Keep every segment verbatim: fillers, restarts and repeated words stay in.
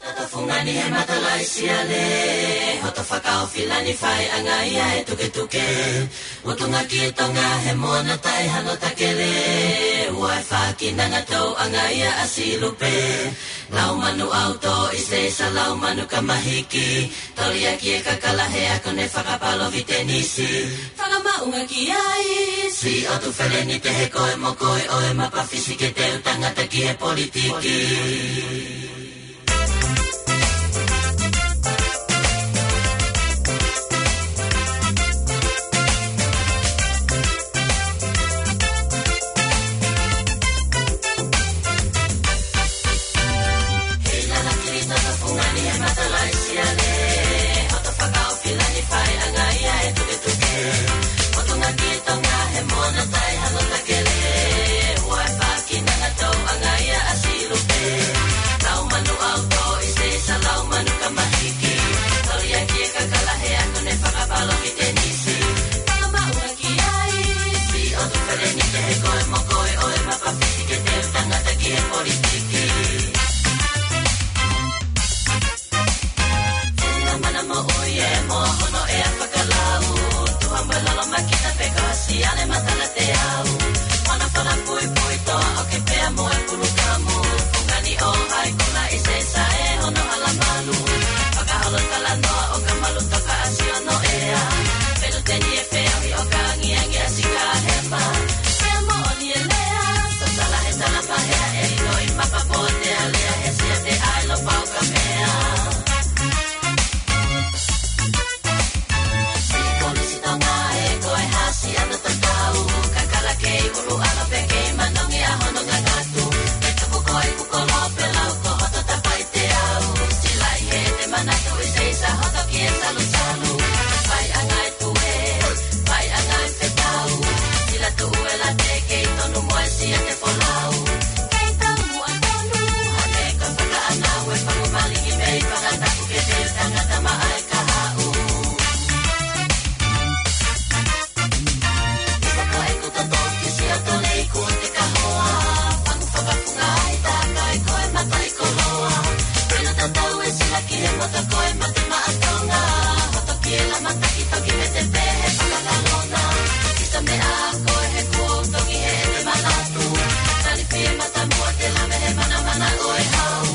Toto fungani he matalaʻi siale, hoto fakaofilani faiʻanga ia e tuketuke. Utunga ki Tonga he moana taʻe hano takele, ua e fākinanga touʻanga ia ʻa Silupe. Laumanu ʻauto ʻi se isa laumanu kamahiki, toli ʻaki e kakala he ako ne fakapalovitenisi. Fakamaʻunga ki ai, Siʻotu Felenite he ko e mokoʻi ʻo e mapafisi ke teu tangata ki he politiki. Hei lala kili toto fungani he matalaʻi siale, hoto fakaofilani faiʻanga ia e tuketuke. Utunga ki Tonga he moana taʻe hano takele, ua e fākinanga touʻanga ia ʻa Silupe. Laumanu ʻauto ʻi se isa laumanu kamahiki, toli ʻaki e kakala he ako ne fakapalovitenisi. Fakamaʻunga ki ai, Siʻotu Felenite he ko e mokoʻi ʻo e mapafisi ke teu tangata ki he politiki. Tena mana moʻui e moa hono ʻea fakalau. Tuha mo e lolo makita pe ko ha siale matala teau. Mana fana puipui toa ʻoke pea mo e pulukamu. Fungani ʻo hai kula ʻi se isa e hono hala malu. Fakaholo talanoa ʻo ka malu toka ʻasi ʻo no ʻea. Pelu teni e feohi ʻo ka angiangi ʻasi ka hema. Pea moʻoni e lea. Sotala he tala pahea e ino i mapa po te alea he sia te ai lo pau ka mea. Siʻi polisi Tonga e ko e hasi ana tatau. Kakala kei ulu ala pe kei manongi a hono ngangatu. Ke tuku ko e kukolo pe lau ko hoto tapai te au. Silai he te manatu ʻi se isa hoto ki e salusalu. Faiʻanga e tue, faiʻanga e fetau. Sila tuʻu e la te kei tonu mo e sia te folau. Kei tau muʻa tonu, hane ka fakaʻanau e faku maliki mei fakataku ke te tangata maʻa e kahaʻu. Isa ko e kuta toki sia tole i kua te kahoa. Faku fakafunga ai takai ko e mata i koloa. Pena tatau e sila ki he mata ko e mate maʻa Tonga. Hoto ki e la mata ki toki me te pehe fakakalona. Isa me a ko e he kuo tongi he e te manatu. Tali pie mata mua te la me he mana mana ʻo e hau.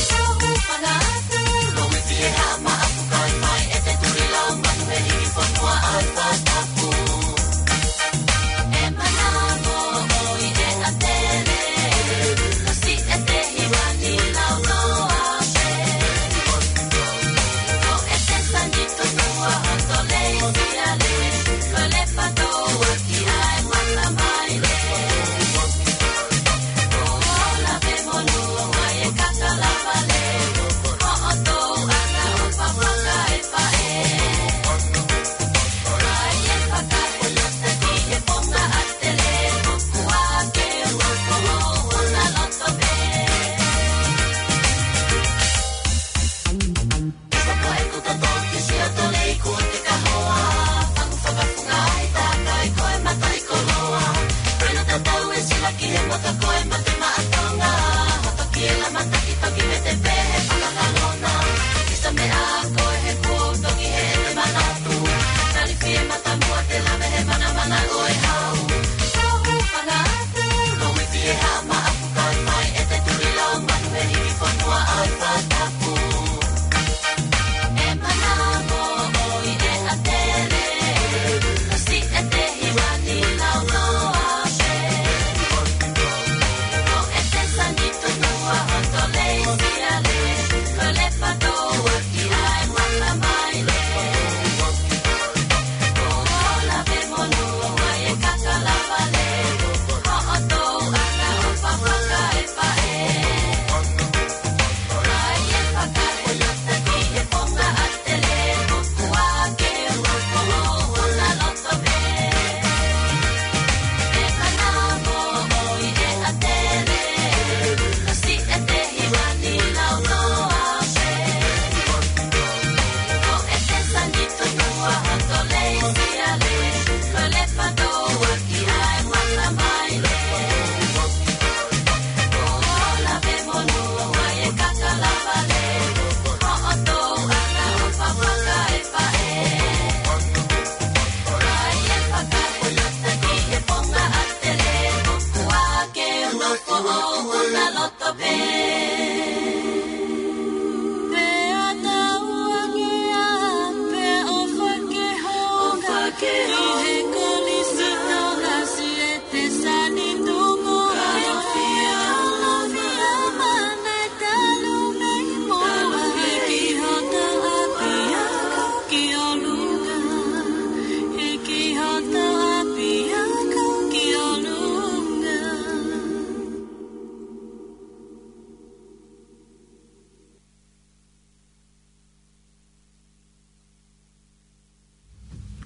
Tau hu fana atu. Lo me fie ha ma apu kai fai e te tuli lau manu he hiki fonua ai fatapu. E mana mo ʻoi e atele. Kasi e te hiwani lau loa se. Ko e te sani tutua hato leisi.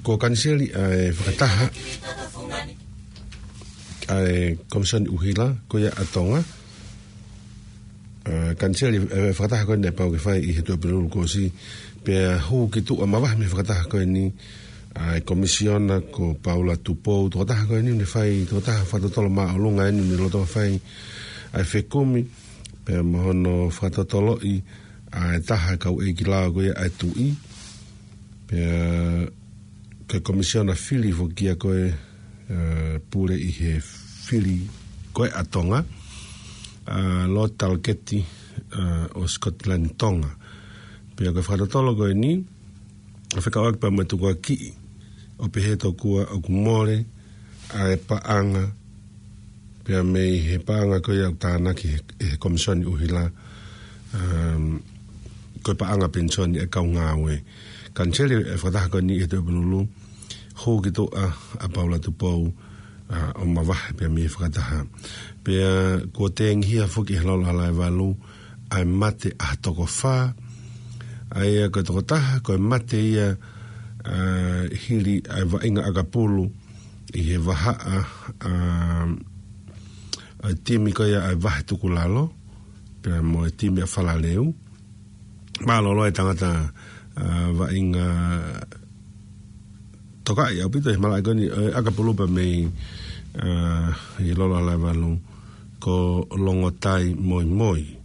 Ko e kaniseli ʻa e fakataha ʻa e Komisoni ʻUhila ko ia ʻa Tonga. ʻA e kaniseli ʻa e fakataha ko eni naʻe pau ke fai ʻi he Tuʻapulelulu kuo ʻosi, pea hū ki tuʻa mavahe mei he fakataha ko eni ʻa e Komisiona ko Paula Tupou. Tokotaha ko eni naʻe fai, tokotaha fakatotolo māʻolunga eni naʻe lolotonga fai ʻa e fekumi, pea mo hono fakatotoloʻi ʻa e taha kau ʻeikilao ko ia ʻa e Tuʻi. Pea ko e Komisiona fili foki ia ko e, ʻa, pule ʻi he fili ko ē ʻa Tonga, ʻa, Lord Talkeeti, ʻa, ʻo Scotland Tonga. Pea ko e fakatotolo ko eni, ʻa, fekauʻaki pea mo e tukuakiʻi ʻo pehē tokua ʻoku mole ʻa e paʻanga, pea mei he paʻanga ko ia ʻoku tānaki ʻe he, ʻe he Komisoni ʻUhila, um, ko e paʻanga penisoni ʻa e kau ngāue. Kaniseli ʻa e fakataha ko eni ʻi he Tuʻapulelulu, hū ki tuʻa ʻa Paula Tupou, ʻa, ʻo mavahe pea mei he fakataha. Pea kuo tengihia foki ʻe he Lolo Halaevalu ʻa e mate ʻa ha toko fā, ʻa ia ko e tokotaha ko e mate ia, ʻa, hili ʻa e vaʻinga ʻakapulu ʻi he vahaʻa, ʻa, ʻa e timi ko ia ʻa e Vahetukulalo, pea mo e timi ʻa Falaleu. Mālōlō e tangata, ʻa, vaʻinga tokaʻi ʻaupito he malaʻe ko eni, ʻa e ʻakapulu pea mei, ʻa, ʻi Lolo Halaevalu, ko Longotai Moimoi.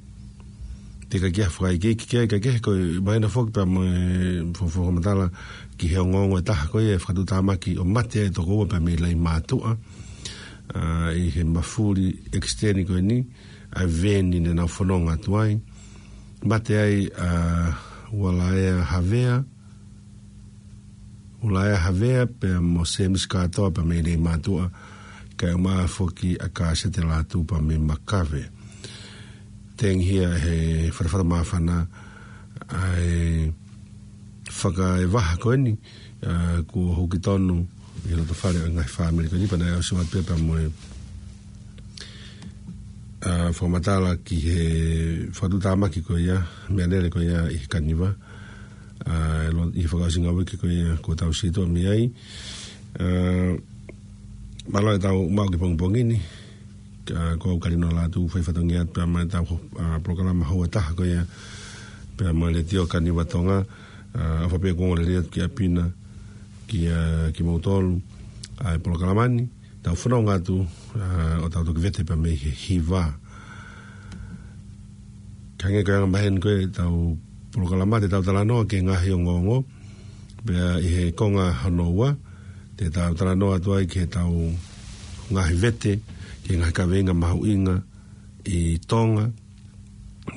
Teʻeki ai ke fakaikiiki ki ai, kae kehe ko e mahino foki pea mo e fo-, fo-, fakamatala ki he ongoongo ʻe taha ko ia ʻe fakatuʻutāmaki ʻo mate ai e toko ua pea mei Leimātuʻa, ʻa, ʻi he mafuli ʻekisiteni ko eni ʻa e veni naʻa nau fononga atu ai. Mate ai ʻa Ualaea Havea, Ualaea Havea pea mo Semisi Kātoa pea mei Leimātuʻa, kae ʻumaʻā foki ʻa Kāsete Lātū pea mei Makave. Tengihia ʻe he Fatafata Māfana ʻa e fakaevaha ko eni, ʻa, kuo hū ki tonu ʻi he loto fale ʻo e ngaahi fāmili ko eni, pea naʻe ʻosi ʻoatu pē pea mo e, ʻa, fakamatala ki he fakatuʻutāmaki ko ia, meʻalele ko ia ʻi he Kaniva, ʻa, lo-, ʻi he fakaʻosinga uike ko ia kuo tau situʻa mei ai. ʻA, mālō ʻetau maʻu ki he pongipongi ni, ʻa, ko au Kalino Lātū, fai fatongia pea mo ʻetau, ʻa, polokalama houa ʻe taha ko ia pea mo e Letiō Kaniva Tonga, ʻa, ʻofa pē kuo ongo lelei atu ki ʻapi na, kia, kimoutolu, ʻa, ʻi he polokalama ni, tau fononga atu, ʻa, ʻo tau toki vete pea mei he hiva. Hangē ko e anga maheni ko ē ʻetau polokalama, te tau talanoa ki he ngaahi ongoongo, pea ʻi he konga hono ua, te tau talanoa atu ai ki heʻetau ngaahi vete, ki he ngaahi kaveinga mahuʻinga ʻi Tonga,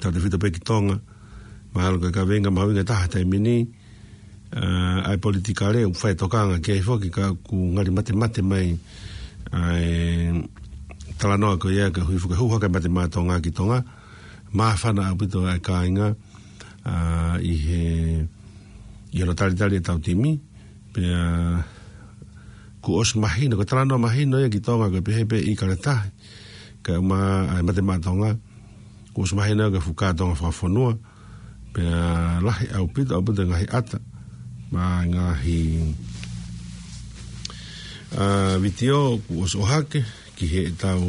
tautefito pē ki Tonga, mahalo ko e kaveinga mahuʻinga ʻe taha he taimi ni, ʻa, ʻa e politikale, ʻoku fai e tokanga ki ai foki ka ʻoku ngali matemate mai ʻa e talanoa ko ia, ka hui fuka huha ka mate mā Tonga ki Tonga, māfana ʻaupito ʻa e kāinga, ʻa, ʻi he, ʻi hono talitali ʻetau timi, pea kuo ʻosi mahino, ko e talanoa mahino ia ki Tonga ko e pehē pē ʻi Kaletahi, kae ʻumaʻā ʻa e mate mā Tonga, kuo ʻosi mahino ko e fuka Tonga fakafonua, pea lahi ʻaupito, ʻaupito e ngaahi ʻata, mo e ngaahi, ʻa, vitiō kuo ʻosi ʻohake ki heʻetau,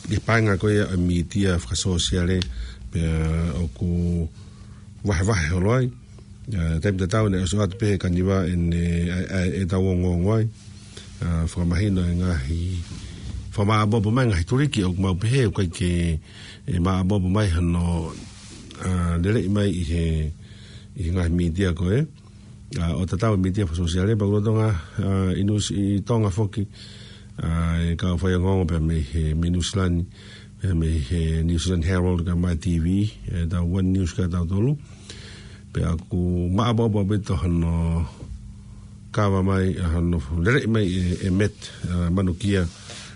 ʻi he paenga ko ia ʻa e mītia fakasōsiale, pea ʻoku vahevahe holo ai. ʻA, taimi tatau naʻe ʻosi ʻoatu pē ʻe he Kaniva ʻene, ʻa, ʻa, ʻetau ongoongo ai. ʻA, fakamahino e ngaahi, fakamāʻopoʻopo mai e ngaahi tuliki ʻoku mau pehē ʻoku ʻikai ke, ʻe māʻopoʻopo mai hano, ʻa, leleʻi mai ʻi he, ʻi he ngaahi mītia ko ē. ʻA, ʻo tatau e mītia fakasōsiale, pea ʻoku lolotonga, ʻa, ʻi Nusi-, ʻi Tonga foki, ʻa, e kau faiongoongo pea mei he, mei Nuʻu Sila ni, pea mei he New Zealand Herald kae ʻumaʻā e T V, ʻetau One News kia tautolu. Pea ʻoku māʻopoʻopo ʻaupito hano kava mai, ʻa, hano leleʻi mai ʻe, ʻe Met, ʻa, Manukia,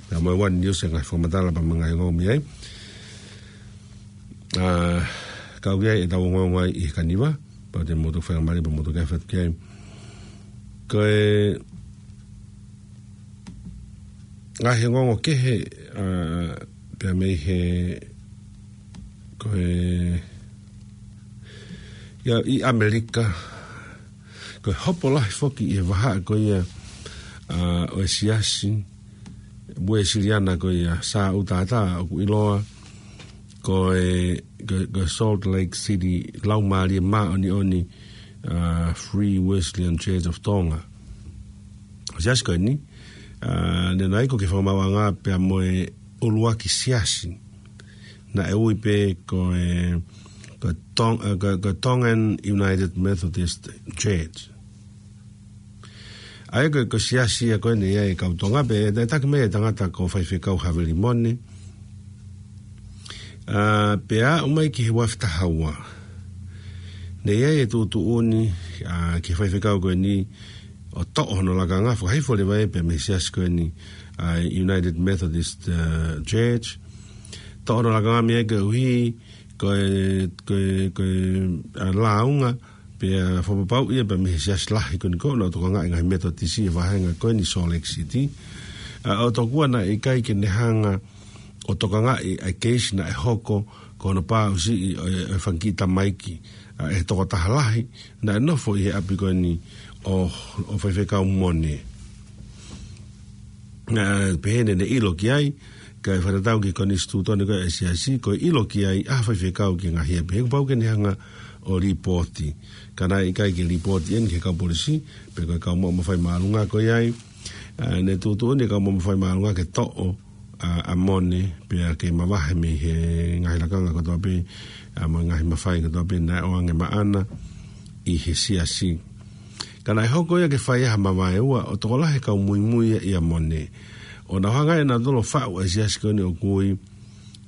pea mo e One News e ngaahi fakamatala pea mo e ngaahi ongoongo mei ai. ʻA, ka ʻoku ʻi ai ʻetau ongoongo ai ʻi he Kaniva, pea te mou toki faingamālie pea mou toki ʻai atu ki ai. Ko e ngaahi ongoongo kehe, ʻa, pea mei he, ko e, ia, ʻi ʻAmelika, Ko e hopo lahi foki ʻi he vahaʻa ko ia, ʻa, ʻo e siasi Uēsiliana ko ia Sāʻūtātā ʻoku ʻiloa ko e, ko, ko e Salt Lake City Laumālie Māʻoniʻoni, ʻa, Free Wesleyan Church of Tonga. Ko e siasi ko eni, ʻa, ne nau ʻi ai ko e fakamaauʻanga pea mo e ʻuluaki siasi naʻe ui pē ko e, ko e Tong-, ʻa, ko e, ko e Tongan United Methodist Church. ʻA ia ko e, ko e siasi ia ko eni ʻa e kau Tonga pea, ʻe taki mai e tangata ko Faifekau Havili Mone. ʻA, pea aʻu mai ki he ua afe taha ua. Ne ʻi ai e tuʻutuʻuni, ʻa, ki he faifekau ko eni ʻo toʻo hono lakanga, fakahifo leva ia pea mei he siasi ko eni, ʻa, United Methodist, ʻa, Church. Toʻo hono lakanga mei ai koeʻuhi ko e, ko e, ko e, ʻa, lāunga, pea fakapapauʻi ia pea mei he siasi lahi ko eni ko ē naʻe tokangaʻi e ngaahi Metotisi ʻi he vahenga ko eni Salt Lake City. ʻA, ʻo tokua naʻe ʻikai ke ne hanga ʻo tokangaʻi ʻa e keisi naʻe hoko ko hono pāʻusiʻi ʻo e, ʻo e fanga kiʻi tamaiki, ʻa, ʻe he tokotaha lahi naʻe nofo ʻi he ʻapi ko eni ʻo, ʻo Faifekau Mone. ʻA, pehē ne ne ʻilo ki ai, kae fakatatau ki he konisitūtone ko ē ʻa e siasi, ko e ʻilo ki ai ʻa e faifekau ki he ngaahi ʻapi. He kuo pau ke ne hanga ʻo lipooti. Ka naʻe ʻikai ke lipooti eni ki he kau polisi, pe ko e kau maʻu mafai māʻolunga ko ia ai. ʻA, ne tuʻutuʻuni e kau maʻu mafai māʻolunga ke toʻo, ʻa, ʻa Mone, pea ke mavahe mei he ngaahi lakanga kotoa pē, ʻa, mo e ngaahi mafai kotoa pē naʻe ʻoange maʻana ʻi he siasi. Ka naʻe hoko ia ke fai ai ha mavaeua ʻo tokolahi e kau muimui ia ʻia Mone. ʻO nau hanga ʻe nautolu ʻo faʻu ʻa e siasi ko eni ʻoku ui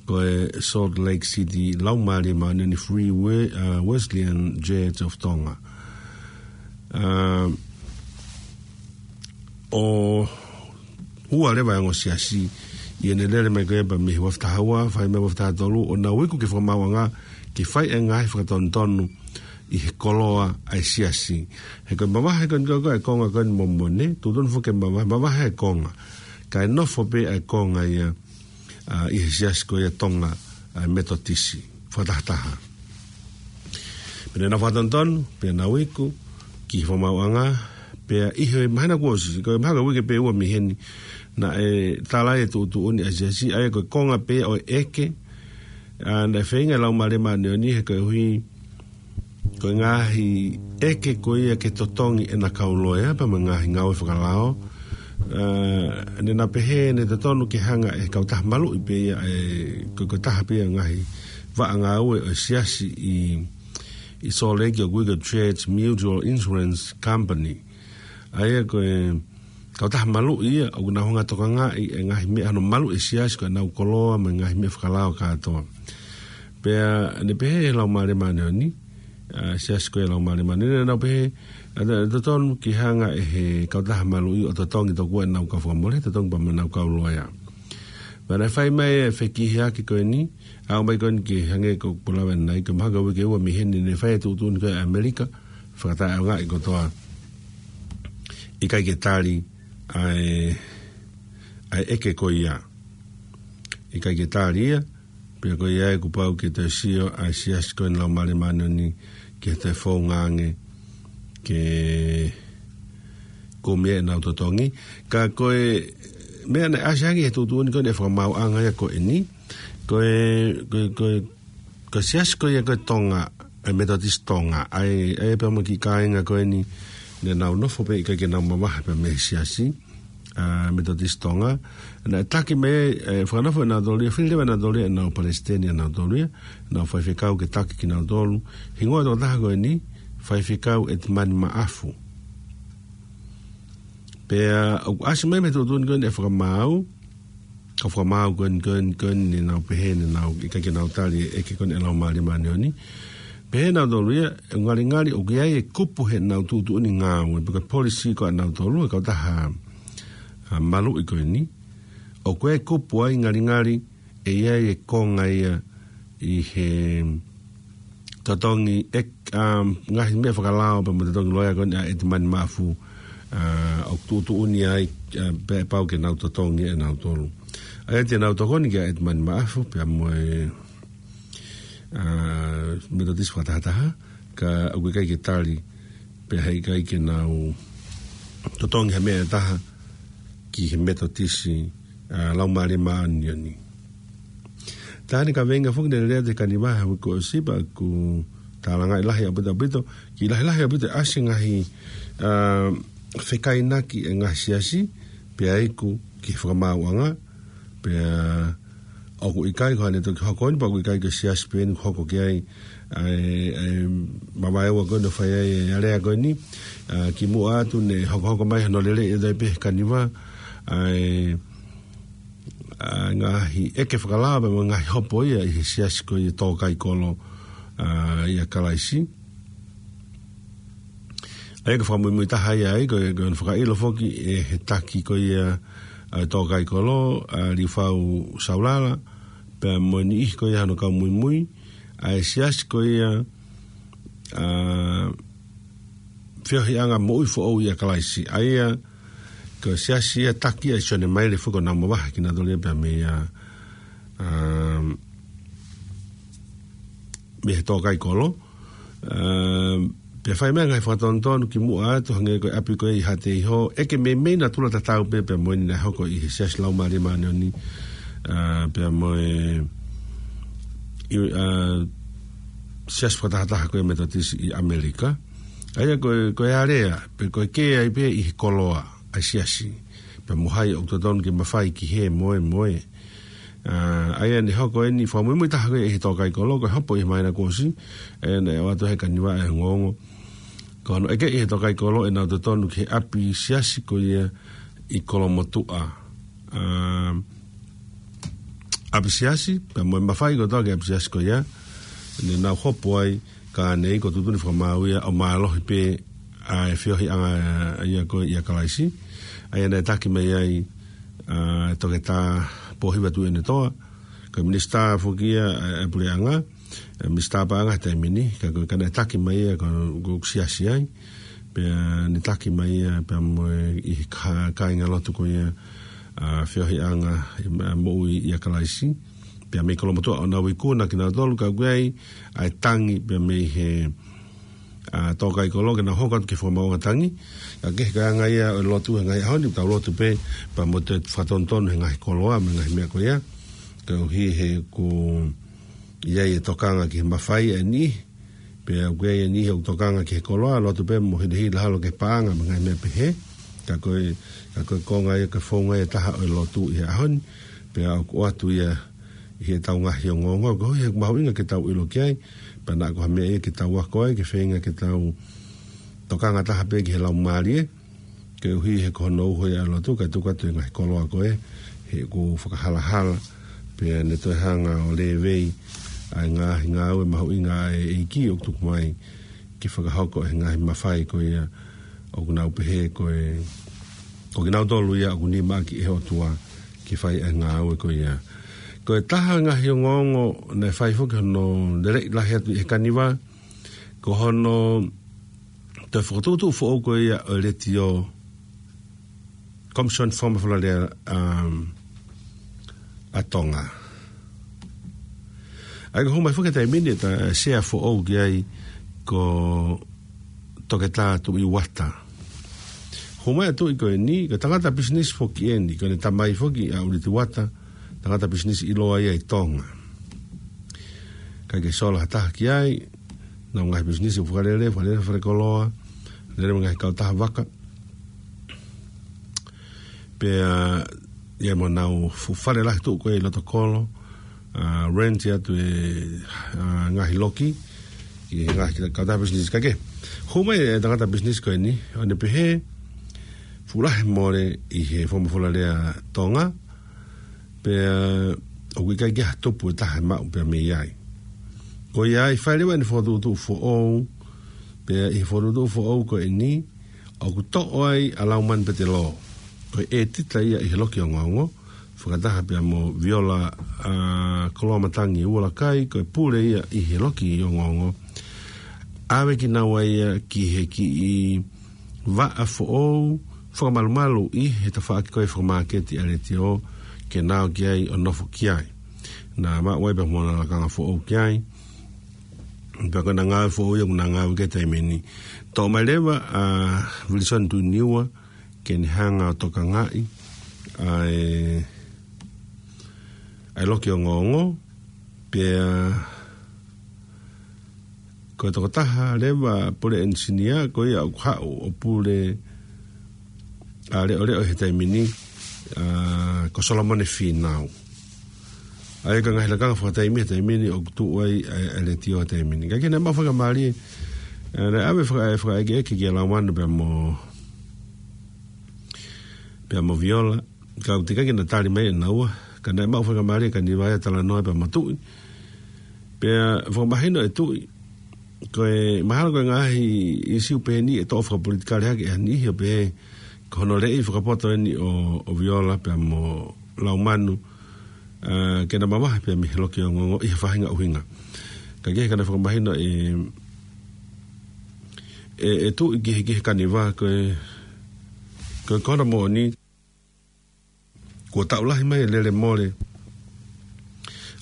ko e Salt Lake City Laumālie Māʻoniʻoni Free We-, ʻa, Wesleyan Church of Tonga. ʻA, ʻo ua leva e ongo siasi, ʻi heʻene lele mai ko ia pea mei he ua afe taha ua, fai mai ua afe taha tolu, ʻo nau iku ki he fakamaauʻanga ke fai e ngaahi fakatonutonu ʻi he koloa ʻa e siasi. He ko e mavahe ko eni ko ē e konga ko eni mo Mone, tuʻutuʻuni foki ke mavahe, mavahe e konga. Kae nofo pē ʻa e konga ia, ʻa, ʻi he siasi ko ia Tonga, ʻa, Metotisi, fakatahataha. Pea ne nau fakatonutonu, pea nau iku ki he fakamaauʻanga, pea ʻi he māhina kuo ʻosi, ko e mahalo ko e uike pē ʻe ua mei heni, naʻe tala ai e tuʻutuʻuni ʻa e siasi, ʻa ia ko e konga pē ʻo e ʻeke, ʻa, naʻe feinga e Laumālie Māʻoniʻoni he koeʻuhi ko e ngaahi ʻeke ko ia ke totongi ʻena kau loea pea mo e ngaahi ngāue fakalao. ʻA, ne nau pehē ne totonu ke hanga ʻe he kautaha maluʻi pē ia, ʻe, ko, ko e taha pē ia e ngaahi vaʻa ngāue ʻo e siasi ʻi, ʻi Salt Lake ʻoku ui ko e Church Mutual Insurance Company. ʻA ia ko e kautaha maluʻi ia, ʻoku nau hanga ʻo tokangaʻi e ngaahi meʻa hono maluʻi e siasi ko ʻenau koloa mo e ngaahi meʻa fakalao kātoa. Pea ne pehē ʻe he Laumālie Māʻoniʻoni, ʻa, siasi ko ia Laumālie Māʻoniʻoni, ne nau pehē, ʻa, totonu ke hanga ʻe he kautaha maluʻi ʻo totongi tokua ʻenau kau fakamole, totongi pea mo ʻenau kau loea. Pea naʻe fai mai e fekihiaki ko eni, ʻa, ʻomai ko eni ke hangē ko e pulava nai, ko e mahalo ko e uike ʻe ua mei heni ne fai e tuʻutuʻuni ko ē ʻa ʻAmelika, fakataʻeʻaongaʻi kotoa, ʻikai ke tali ʻa e, ʻa e ʻeke ko ia. ʻIkai ke tali ia, pea ko ia ʻoku pau ke toe sio ʻa e siasi ko eni Laumālie Māʻoniʻoni ke toe founga ange ke kumi ʻenau totongi. Ka ko e meʻa naʻe ʻasi ange he tuʻutuʻuni ko eni e fakamaauʻanga ia ko eni, ko e, ko e, ko e, ko e siasi ko ia ko e Tonga, e Metotisi Tonga, ʻa e, ʻa e pea mo e kiʻi kāinga ko eni, ne nau nofo pē ʻikai ke nau mavahe pea mei he siasi, ʻa, Metotisi Tonga. Naʻe taki mai, ʻe, fakanofo ʻe nautolu ia, fili leva ʻe nautolu ia ʻenau palesiteni ʻa nautolu ia, ʻenau faifekau ke taki kinautolu. Hingoa e tokotaha ko eni, Faifekau ʻEtimani Maʻafu. Pea ʻoku ʻasi mai mei he tuʻutuʻuni ko eni e fakamaau, ʻa e fakamaau ko eni, ko eni, ko eni ne nau pehē ne nau ʻikai ke nau tali e ʻeke ko eni ʻa e Laumālie Māʻoniʻoni. Pehē ʻe nautolu ia, ʻe ngalingali ʻoku ʻi ai e kupu heʻenau tuʻutuʻuni ngāue, pe ko e polisi ko ē ʻa nautolu, e kautaha, ʻa, maluʻi ko eni. ʻOku ʻi ai e kupu ai ngalingali ʻe ʻi ai e konga ia ʻi he totongi e, ʻa, ngaahi meʻa fakalao pea mo e totongi loea ko eni ʻa ʻEtimani Maʻafu, ʻa, ʻoku tuʻutuʻuni ai, ʻa, pea ʻe pau ke nau totongi ʻe nautolu. ʻA ia te nau tokoni kia ʻEtimani Maʻafu, pea mo e, ʻa, Metotisi fakatahataha, ka ʻoku ʻikai ke tali pea heʻikai ke nau totongi ha meʻa ʻe taha ki he Metotisi, ʻa, Laumālie Māʻoniʻoni. Tā ʻeni ka veinga foki ne lea te kani vaha uiko o sipa ku tālangaʻi lahi ʻaupito ʻaupito, ki lahi lahi ʻaupito ʻasi ngaahi, ʻa, fekainaki e ngaahi siasi, pea iku ki he fakamaauʻanga, pea ʻoku ʻikai ko ʻene toki hoko ʻeni, pea ʻoku ʻikai ko e siasi pē ʻeni hoko ki ai, ʻa e, ʻa e mavaeua ko ʻeni ʻo fai ai, ʻa e lea ko ʻeni, ʻa, kimuʻa atu ne hokohoko mai hano lele e tai pē kani vaha, ʻa e, ʻa e ngaahi ʻeke fakalao, pea mo e ngaahi hopo ia ʻi he siasi ko ia tōkaikolo, ʻa, ʻia Kalaisi. ʻA ia ko e fakamuimui taha ia ai, ko e, ko e fakaʻilo foki ʻe he taki ko ia, ʻa, tōkaikolo, ʻa, Liufau Saulala, pea mo e niʻihi ko ia hano kau muimui, ʻa e siasi ko ia, ʻa, Feohiʻanga Moʻui Foʻou ʻia Kalaisi. ʻA ia, ko e siasi ia taki ʻa Sione Maile foki ʻoku nau mavahe kinautolu ia pea mei, ʻa, ʻa, mei he tōkaikolo. ʻA, pea fai mai e ngaahi fakatonutonu kimuʻa atu hangē ko e ʻapi ko ē ʻi Haʻateiho, ʻeke meimei natula tatau pē pea mo ʻeni naʻe hoko ʻi he Siasi Laumālie Māʻoniʻoni, ʻa, pea mo e, ʻi, ʻa, siasi fakatahataha ko e Metotisi ʻi ʻAmelika. ʻA ia ko e, ko e alea, pe ko e kē ai pē ʻi he koloa ʻa e siasi, pea mo hai ʻoku totonu ke mafai ki he moe moe. ʻA, ʻa ia ne hoko ʻeni fakamuimui taha ko ē ʻi he tōkaikolo, ko e hopo ʻi he māhina kuo ʻosi, ʻa ia naʻe ʻoatu he kani vaha e ongoongo. Ko hono ʻeke ʻe he tōkaikolo ʻenau totonu ki he ʻapi siasi ko ia ʻi Kolomotuʻa. ʻA, ʻapi siasi, pea mo e mafai kotoa ki he ʻapi siasi ko ia, ne nau hopo ai, ka ne iku tuʻutuʻuni fakamaau ia ʻo mālohi pē ʻa e feohiʻanga ia ko ia ʻia Kalaisi. ʻA ia naʻe taki mai ai, ʻa, Toketā Pōhiva Tuʻiʻonetoa, ko e minisitā foki ia, ʻa, ʻa e puleʻanga, ʻa e minisitā paʻanga he taimi ni, ka ko e ka naʻe taki mai ia ko, ko e siasi ai, pea ne taki mai ia, pea mo e ʻi he ka-, kāingalotu ko ia, ʻa, feohiʻanga, ʻa, moʻui ʻia Kalaisi, pea mei Kolomotuʻa ʻo nau ikuna kinautolu ka ʻoku ʻi ai ʻa e tangi pea mei he, ʻa, tōkaikolo ke nau hoko atu ki he fakamaauʻanga tangi. Ka ko e anga ia ʻo e lotu he ngaahi ʻaho ni, tau lotu pē, pea mo e fakatonutonu he ngaahi koloa, mo e ngaahi meʻa ko ia. Koeʻuhi he ʻoku ʻi ai e tokanga ki he mafai ʻa e niʻihi, pea ʻoku ʻi ai e niʻihi ʻoku tokanga ki he koloa, lotu pē mo hilahila holo ki he paʻanga, mo e ngaahi meʻa pehē. Ka ko e, ka ko e konga ia, ko e founga ia ʻe taha ʻo e lotu ʻi he ʻaho ni, pea ʻoku ʻoatu ia ʻi heʻetau ngaahi ongoongo, koeʻuhi he ʻoku mahuʻinga ke tau ʻilo ki ai, pea naʻa ko ha meʻa ia ke tau ako ai, ke feinga ke tau tokanga taha pē ki he Laumālie, koeʻuhi he ko hono uho ia ʻa e lotu, kae tuku atu e ngaahi koloa ko ē, he ʻoku fakahalahala, pea ne toe hanga ʻo lēvei ʻa e ngaahi ngāue mahuʻinga ʻa e ʻEiki ʻoku tuku mai ke fakahoko ʻe he ngaahi mafai ko ia ʻoku nau pehē ko e, ko kinautolu ia ʻoku nimaʻaki ʻe he ʻOtua ke fai ʻa e ngāue ko ia. Ko e taha e ngaahi ongoongo naʻe fai foki hono leleʻi lahi atu ʻi he kani vaha, ko hono toe fokotuʻutuʻu foʻou ko ia ʻo e Letiō Komisioni Fakamafolalea, um, ʻa Tonga. ʻA ia ko e hū mai foki he taimi ni ʻeta sea foʻou ki ai ko Toketā Tuʻi Uata. Hū mai ʻa Tuʻi ko eni, ko e tangata pisinisi foki eni, ko ʻene tamai foki ʻa ʻUliti Uata, tangata pisinisi ʻiloa ia ʻi Tonga. ʻIkai ke sola ha taha ki ai, ʻenau ngaahi pisinisi ʻoku fakalele, fakalele fale koloa, lele mo e ngaahi kautaha vaka. Pea, ʻi ai mo ʻenau fuʻu fale lahi tuʻu ko ē ʻi loto kolo, ʻa, rent atu e, ʻa, ngaahi loki, ʻi he ngaahi kautaha pisinisi ka ke. Hū mai e tangata pisinisi ko eni, ʻo ne pehē, fuʻu lahi mole ʻi he fakamafolalea Tonga, pea ʻoku ʻikai ke ha tupu ʻe taha ʻe maʻu pea mei ai. Ko ia ai fai leva ʻene fokotuʻutuʻu foʻou, pea ʻi he fokotuʻutuʻu foʻou ko eni, ʻoku toʻo ai ʻa Laumani Petelō. Ko e ʻētita ia ʻi he loki ongoongo, fakataha pea mo Viola, ʻa, Koloamatangi Ualakai, ko e pule ia ʻi he loki ongoongo. ʻAve kinaua ia ki he kiʻi vaʻa foʻou, fakamalumalu ʻi he tafaʻaki ko ē fakamāketi ʻa e Letiō, ke nau ō ki ai ʻo nofo ki ai. Naʻa maʻu ai pea mo ʻena lakanga foʻou ki ai. Pea ko ʻena ngāue foʻou ia ʻoku na ngāue ki he taimi ni. Toʻo mai leva ʻa Wilson Tuʻiniua ke ne hanga ʻo tokangaʻi ʻa e, ʻa e loki ongoongo. Pea ko e tokotaha leva pule ʻenisinia ko ia ʻoku haʻu ʻo pule ʻa e leʻoleʻo he taimi ni, ʻa, ko Solomone Fīnau. ʻA ia ko e ngaahi lakanga fakataimi he taimi ni ʻoku tuʻu ai ʻa e, ʻa e letiō he taimi ni. Ka ʻoku ʻikai ke na maʻu faingamālie, ʻa, naʻe ʻave faka-, fakaʻekeʻeke kia Laumanu pea mo, pea mo Viola. Ka ʻoku teʻeki ke na tali mai ʻe naua. Ka naʻe maʻu faingamālie ʻa Kaniva ia ʻo talanoa pea mo Tuʻi. Pea fakamahino ʻe Tuʻi, ko e mahalo ko e ngaahi ʻīsiu pehē ni ʻe toʻo fakapolitikale hake ʻe ha niʻihi ʻo pehē ko hono leʻi fakapoto eni ʻo, ʻo Viola pea mo Laumanu, ʻa, ke na mavahe pea mei he loki ongoongo ʻi ha faʻahinga ʻuhinga. Ka ʻoku ʻikai ke na fakamahino ʻe, ʻe, ʻe Tuʻi ki he, ki he Kaniva ko e, ko e kona moʻoni. Kuo taʻu lahi mai e lele mole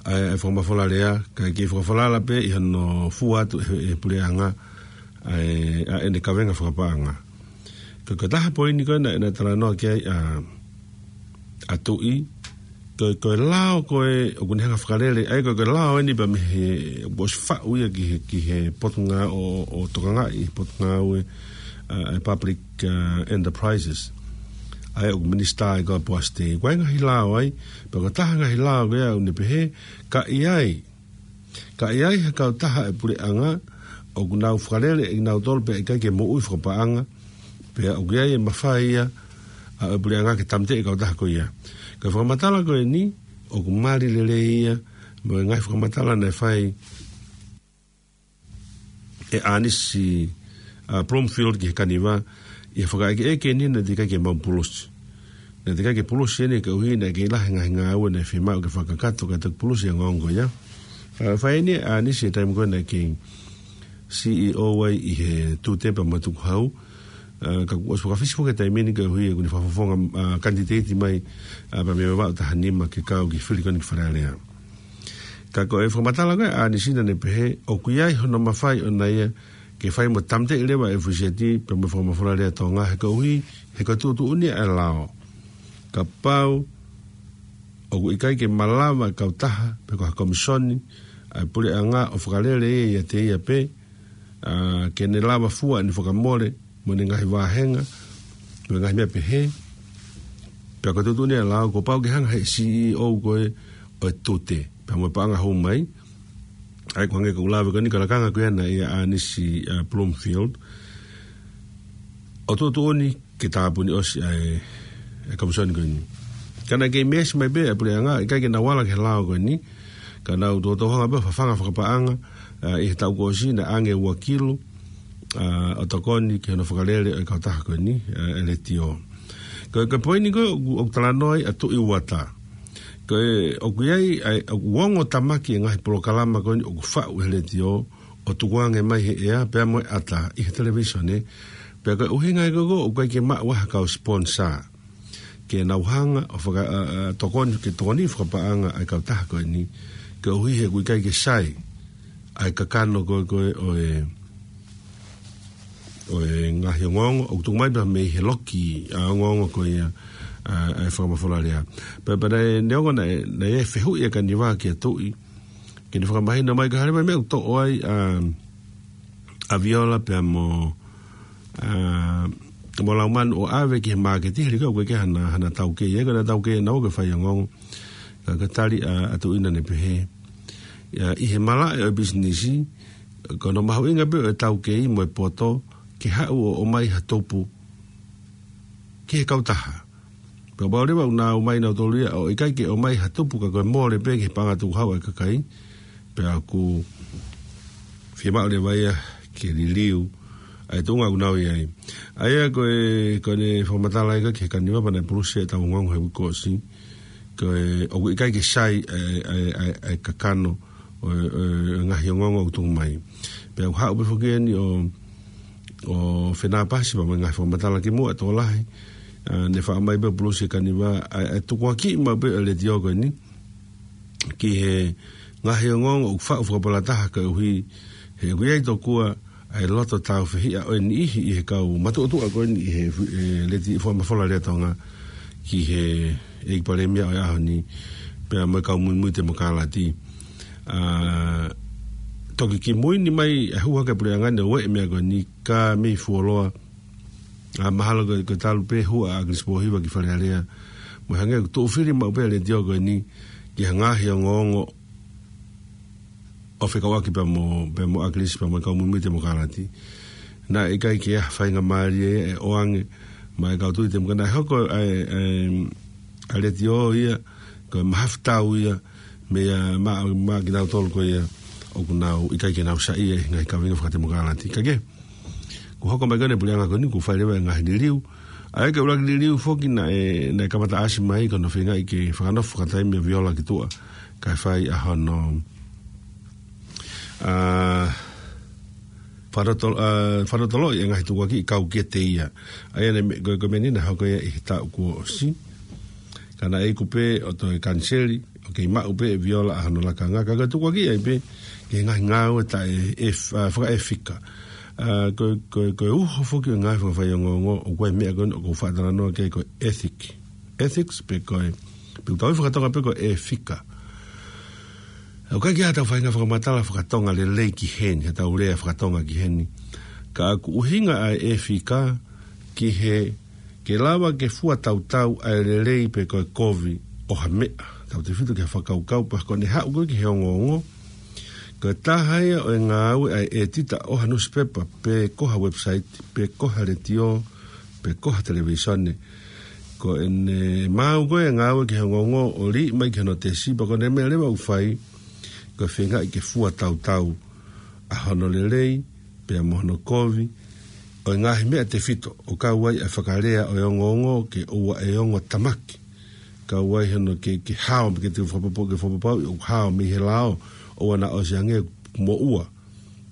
ʻa e, ʻa e fakamafola lea, kae kei fakafalala pē ʻi hono fua atu ʻe he, ʻe he puleʻanga ʻa e, ʻa ʻene kavenga fakapaʻanga. Ko e, ko e taha poini ko ē naʻe, naʻe talanoa ki ai ʻa, ʻa Tuʻi, ko e, ko e lao ko ē ʻoku ne hanga fakalele, ʻa ia ko e, ko e lao eni pea mei he, ʻoku ʻosi faʻu ia ki he, ki he potungāue ʻo, ʻo tokangaʻi, potungāue, ʻa, ʻa e public, ʻa, enterprises. ʻA ia ʻoku minisitā ai ko ē ʻa Poasi Tei. Ko e ngaahi lao ai, pea ko e taha ngaahi lao ko ia ʻoku ne pehē, ka ʻi ai, ka ʻi ai ha kautaha ʻa e puleʻanga ʻoku nau fakalele ʻe nautolu pea ʻikai ke moʻui fakapaʻanga, pea ʻoku ʻi ai e mafai ia ʻa e puleʻanga ke tāmateʻi e kautaha ko ia. Ko e fakamatala ko eni, ʻoku mali lelei ia mo e ngaahi fakamatala naʻe fai ʻe ʻAnisi, ʻa, Bloomfield ki he Kaniva, ʻi he fakaʻekeʻeke eni naʻe teʻeki ai ke maʻu pulusi. Naʻe teʻeki ai ke pulusi eni koeʻuhi naʻe kei lahi e ngaahi ngāue naʻe fiemaʻu ke fakakakato kae toki pulusi e ongoongo ia. ʻA, fai eni ʻe ʻAnisi he taimi ko ē naʻe kei C E O ai ʻi he Tute pea mo Tukuhau. ʻA, ka kuo ʻosi fakafisi foki e taimi ni koeʻuhi ʻoku ne fakafofonga, ʻa, kanititeiti mai, ʻa, pea mei he Vavaʻu taha nima ke kau ki he fili ko eni ki Fale Alea. Ka ko e fakamatala ko ē ʻa ʻAnisi naʻa ne pehē, ʻoku ʻi ai hono mafai ʻona ia ke fai mo tāmateʻi leva e F Z pea mo e fakamafola lea Tonga he koeʻuhi, he ko e tuʻutuʻuni ʻa e lao. Kapau ʻoku ʻikai ke malava e kautaha, pe ko ha komisoni ʻa e puleʻanga ʻo fakalele ia ʻiate ia pē, ʻa, ke ne lava fua ʻene fakamole, mo ʻene ngaahi vāhenga, mo e ngaahi meʻa pehē. Pea ko e tuʻutuʻuni ʻa e lao, kuo pau ke hanga ʻe he C E O ko ē ʻo e Tute pea mo e paʻanga hou mai. ʻA ia ʻoku hangē ko ʻeku lave ko eni ko e lakanga ko ia naʻe ʻia ʻAnisi, ʻa, Bloomfield. ʻO tuʻutuʻuni ke tāpuni ʻosi ʻa e, e komisoni ko eni. Ka naʻe kei meesi mai pē ʻa e puleʻanga, ʻikai ke nau ala ki he lao ko eni. Ka nau toutou hanga pē ʻo fafanga fakapaʻanga, ʻa, ʻi he taʻu kuo ʻosi naʻe ʻange ua kilu, ʻa, ʻo tokoni ki hono fakalele ʻo e kautaha ko eni, ʻa, e letiō. Ko e, ko e poini ko ē ʻoku, ʻoku talanoa ai ʻa Tuʻi Uata. Ko e, ʻoku ʻi ai, ʻa e, ʻoku ongo tamaki e ngaahi polokalama ko eni ʻoku faʻu ʻe he letiō, ʻo tukuange mai he ʻea, pea mo e ʻata ʻi he televīsone. Pea ko e ʻuhinga ia ko ē ʻoku ʻikai ke maʻu ai ha kau sponsor ke nau hanga ʻo faka-, ʻa, ʻa, tokoni, ke tokoni fakapaʻanga ʻa e kautaha ko eni, koeʻuhi he ʻoku ʻikai ke sai ʻa e kakano ko ē, ko ē ʻo e, ʻo e ngaahi ongoongo, ʻoku tuku mai pē mei he loki, ʻa, ongoongo ko ia, ʻa, ʻa e fakamafola lea. Pea, pea naʻe, neongo naʻe, naʻe fehuʻi ʻe Kaniva kia Tuʻi, ke ne fakamahino mai ka hale mai meʻa ʻoku toʻo ai, ʻa, ʻa Viola pea mo, ʻa, mo Laumanu ʻo ʻave ki he māketi, he lika ʻoku ʻikai ke hana, hana taukei, ʻe ko ʻena taukei ʻe naua ke fai ongoongo. Ka ko e tali ʻa, ʻa Tuʻi naʻa ne pehē, ʻa, ʻi he malaʻe ʻo e pisinisi, ko hono mahuʻinga pē ʻo e taukei mo e poto, ke haʻu ʻo ʻomai ha tupu ki he kautaha. Pea pau leva ʻoku nau ō mai nautolu ia ʻo ʻikai ke ʻomai ha tupu ka ko e mole pē ki he paʻanga tukuhau ʻa e kakai. Pea ʻoku fiemaʻu leva ia ke liliu ʻa e tuʻunga ʻoku nau ʻi ai. ʻA ia ko e, ko ʻene fakamatala ia ki he Kaniva pea naʻe pulusi e tau ongoongo he uike kuo ʻosi. Ko e, ʻoku ʻikai ke sai ʻa e, ʻa e, ʻa e, ʻa e kakano ʻo e, ʻo e, ʻo e ngaahi ongoongo ʻoku tuku mai. Pea ʻoku haʻu pē foki eni ʻo, ʻo Fenapasi pea mo e ngaahi fakamatala kimuʻa ʻa e tokolahi. ʻA, ne faʻa mai pē pulusi ʻe Kaniva, ʻa e, ʻa e tukuakiʻi maʻu pē ʻa e letiō ko eni ki he ngaahi ongoongo ʻoku faʻu fakapalataha koeʻuhi ʻOku ʻi ai tokua ʻa e loto tāufehiʻa ʻo e niʻihi ʻi he kau matuʻotuʻa ko eni ʻi he fu-, ʻe, leti fuamafola Lea Tonga ki he ʻEiki Palēmia ʻo e ʻaho ni, pea mo e kau muimui temokalati. ʻA, toki kimui ni mai ʻa e hū hake puleʻanga ni ʻo e meʻa ko eni ka mei fuoloa. ʻA, mahalo ko, ko e talu pē hū ʻa ʻAkilisi Pōhiva ki Fale Alea. Mo e hangē ʻoku tuʻu fili maʻu pē ʻa e letiō ko eni ki he ngaahi ongoongo ʻo fekauʻaki pea mo, pea mo ʻAkilisi pea mo e kau muimui temokalati. Naʻe ʻikai ke ʻi ai ha faingamālie ʻe ʻoange maʻa e kau tui temokalati. Naʻe hoko ʻa e, ʻa e, ʻa e letiō ia ko e mahafu tau ia meia ma, maʻa kinautolu ko ia ʻoku nau ʻikai ke nau saiʻia ʻi he ngaahi kaveinga fakatemokalati. Ka ke, kuo hoko mai ko eni e puleʻanga ko eni, kuo fai leva e ngaahi liliu. ʻA ia ko e ʻuluaki liliu foki naʻe, naʻe kamata ʻasi mai ko hono feingaʻi ke fakanofo fakataimi ʻa Viola ki tuʻa kae fai ʻa hono, ʻa, fanoto-, ʻa, fanotoloʻi e ngaahi tukuakiʻi kau kiate ia. ʻA ia naʻe me-, ko, ko e meʻa ni naʻe hoko ia ʻi he taʻu kuo ʻosi. Ka naʻe iku pē ʻo toe kaniseli, ʻo kei maʻu pē ʻe Viola ʻa hono lakanga, ka ko e tukuakiʻi ia pē ki he ngaahi ngāue taʻe, ʻe f-, ʻa, fakaʻefika. ʻA, ko, ko, ko e uho foki ʻo e ngaahi fakafaiongoongo, ʻoku ʻi ai e meʻa ko eni ʻoku ou faʻa talanoa ki ai ko e ethic. Ethics pe ko e, pe ʻoku tau ui fakatonga pē ko e ʻefika. ʻOku ʻikai ke ʻi ai haʻatau faʻahinga fakamatala fakatonga lelei ki heni, haʻatau lea fakatonga ki heni. Ka ʻoku ʻuhinga ʻa e ʻefika ki he, ke lava ke fua tautau ʻa e lelei pe ko e kovi ʻo ha meʻa. Tautefito ki he fakakaukau pe ko ʻene haʻu ko ē ki he ongoongo. Ko e taha ia ʻo e ngāue ʻa e ʻētita ʻo ha nusipepa, pe ko ha website, pe ko ha letiō, pe ko ha televīsone. Ko ʻene maau ko ē e ngāue ki he ongoongo ʻo liʻi mai ki hono tesi, pea ko ʻene meʻa leva ʻoku fai, ko e feingaʻi ke fua tautau ʻa hono lelei, pea mo hono kovi, ʻo e ngaahi meʻa tefito, ʻo kau ai ʻa e fakalea ʻo e ongoongo ke ʻoua ʻe ongo tamaki. Kau ai hono ke, ke hao, ke te fakapopo-, ke fakapapauʻi ʻoku hao mei he lao, ʻoua naʻa ʻosi ange moʻua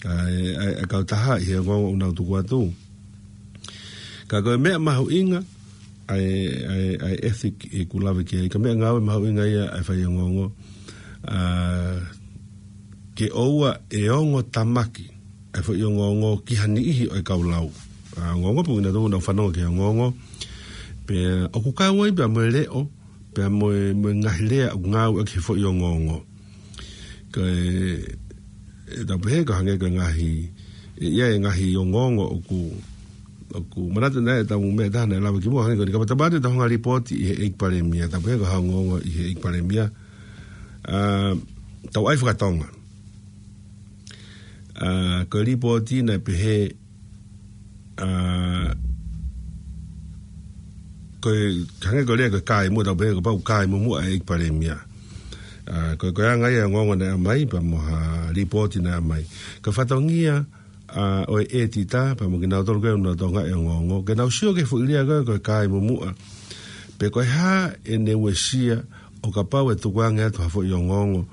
ʻa e, ʻa e, ʻa e kautaha ʻi he ongoongo ʻoku nau tuku atu. Ka ko e meʻa mahuʻinga ʻa e, ʻa e, ʻa e ethic ʻoku lave ki ai, ko e meʻangāue mahuʻinga ia ʻa e faiongoongo, ʻa, ke ʻoua ʻe ongo tamaki ʻa e foʻi ongoongo ki ha niʻihi ʻo e kau lau. ʻA, ongoongo pe ʻoku nau fanongo ki he ongoongo. Pea ʻoku kau ai pea mo e leʻo, pea mo e, mo e ngaahi lea ʻoku ngāueʻaki he foʻi ongoongo. Ko e, ʻe tau pehē ko e hangē ko e ngaahi, ʻe, ʻi ai e ngaahi ongoongo ʻoku, ʻoku manatu naʻe tau meʻa taha naʻe lava ki muʻa hangē ko eni, kapau te tau ʻai ʻetau hanga lipooti ʻi he ʻEiki Palēmia, tau pehē ko ha ongoongo ʻi he ʻEiki Palēmia. ʻA, tau ʻai fakatonga. ʻA, ko e lipooti naʻe pehē, ʻa, ko e, hangē ko e lea ko e kai muʻa, tau pehē kapau kai muʻa ʻa e ʻEiki Palēmia. ʻA, ko e, ko e anga ia e ongoongo naʻe ʻomai, pea mo ha lipooti naʻe ʻomai. Ko e fatongia, ʻa, ʻo e ʻētita, pea mo kinautolu ko ē ʻoku nau tokangaʻi e ongoongo, ke nau sio ki he foʻi lea ko ē ko e kai muʻa. Pe ko e hā ʻene uesia ʻo kapau ʻe tukuange atu ha foʻi ongoongo,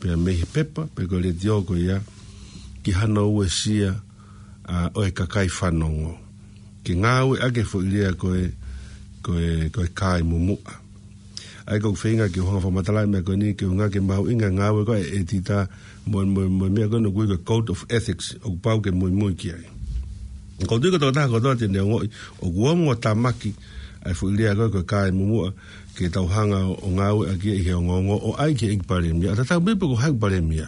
pea mei he pepa, pe ko e letiō ko ia, ki hano uesia, ʻa, ʻo e kakai fanongo. Ke ngāueʻaki e foʻi lea ko e, ko e, ko e kai muʻa. ʻA ia ko ʻeku feinga ke u hanga ʻo fakamatalaʻi e meʻa ko eni, ke ʻuhinga ki he mahuʻinga e ngāue ko ē ʻa e ʻētita, mo, mo, mo e meʻa ko eni ʻoku ui ko e Code of Ethics, ʻoku pau ke muimui ki ai. Ko e tui ko e tokotaha kotoa te ne ongoʻi ʻoku ongo tamaki ʻa e foʻi lea ko ē ko e kai muʻa, ke tau hanga ʻo ngāueʻaki ia ʻi he ongoongo ʻo ʻai ki he ʻEiki Palēmia. ʻA tatau pē pe ko hai ʻEiki Palēmia,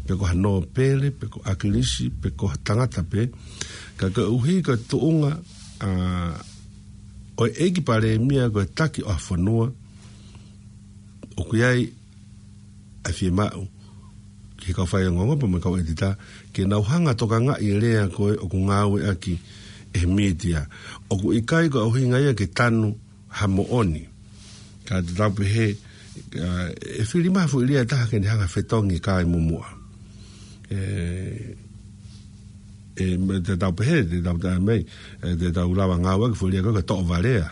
pe ko ha nōpele, pe ko ʻAkilisi, pe ko ha tangata pē. Ka koeʻuhi ko e tuʻunga, ʻa, ʻo e ʻEiki Palēmia ko e taki ʻo ha fonua, ʻoku ʻi ai ʻa e fiemaʻu ki he kau faiongoongo pea mo e kau ʻētita, ke nau hanga ʻo tokangaʻi e lea ko ē ʻoku ngāueʻaki ʻe he mītia. ʻOku ʻikai ko e ʻuhinga ia ke tanu ha moʻoni. Ka te tau pehē, ʻa, ʻe fili mai ha foʻi lea ʻe taha ke ne hanga ʻo fetongi kai muʻa. ʻE, ʻe, mo e te tau pehē, te tau tā mai, ʻe, te tau lava ngāueʻaki e foʻi lea ko e toʻo valea.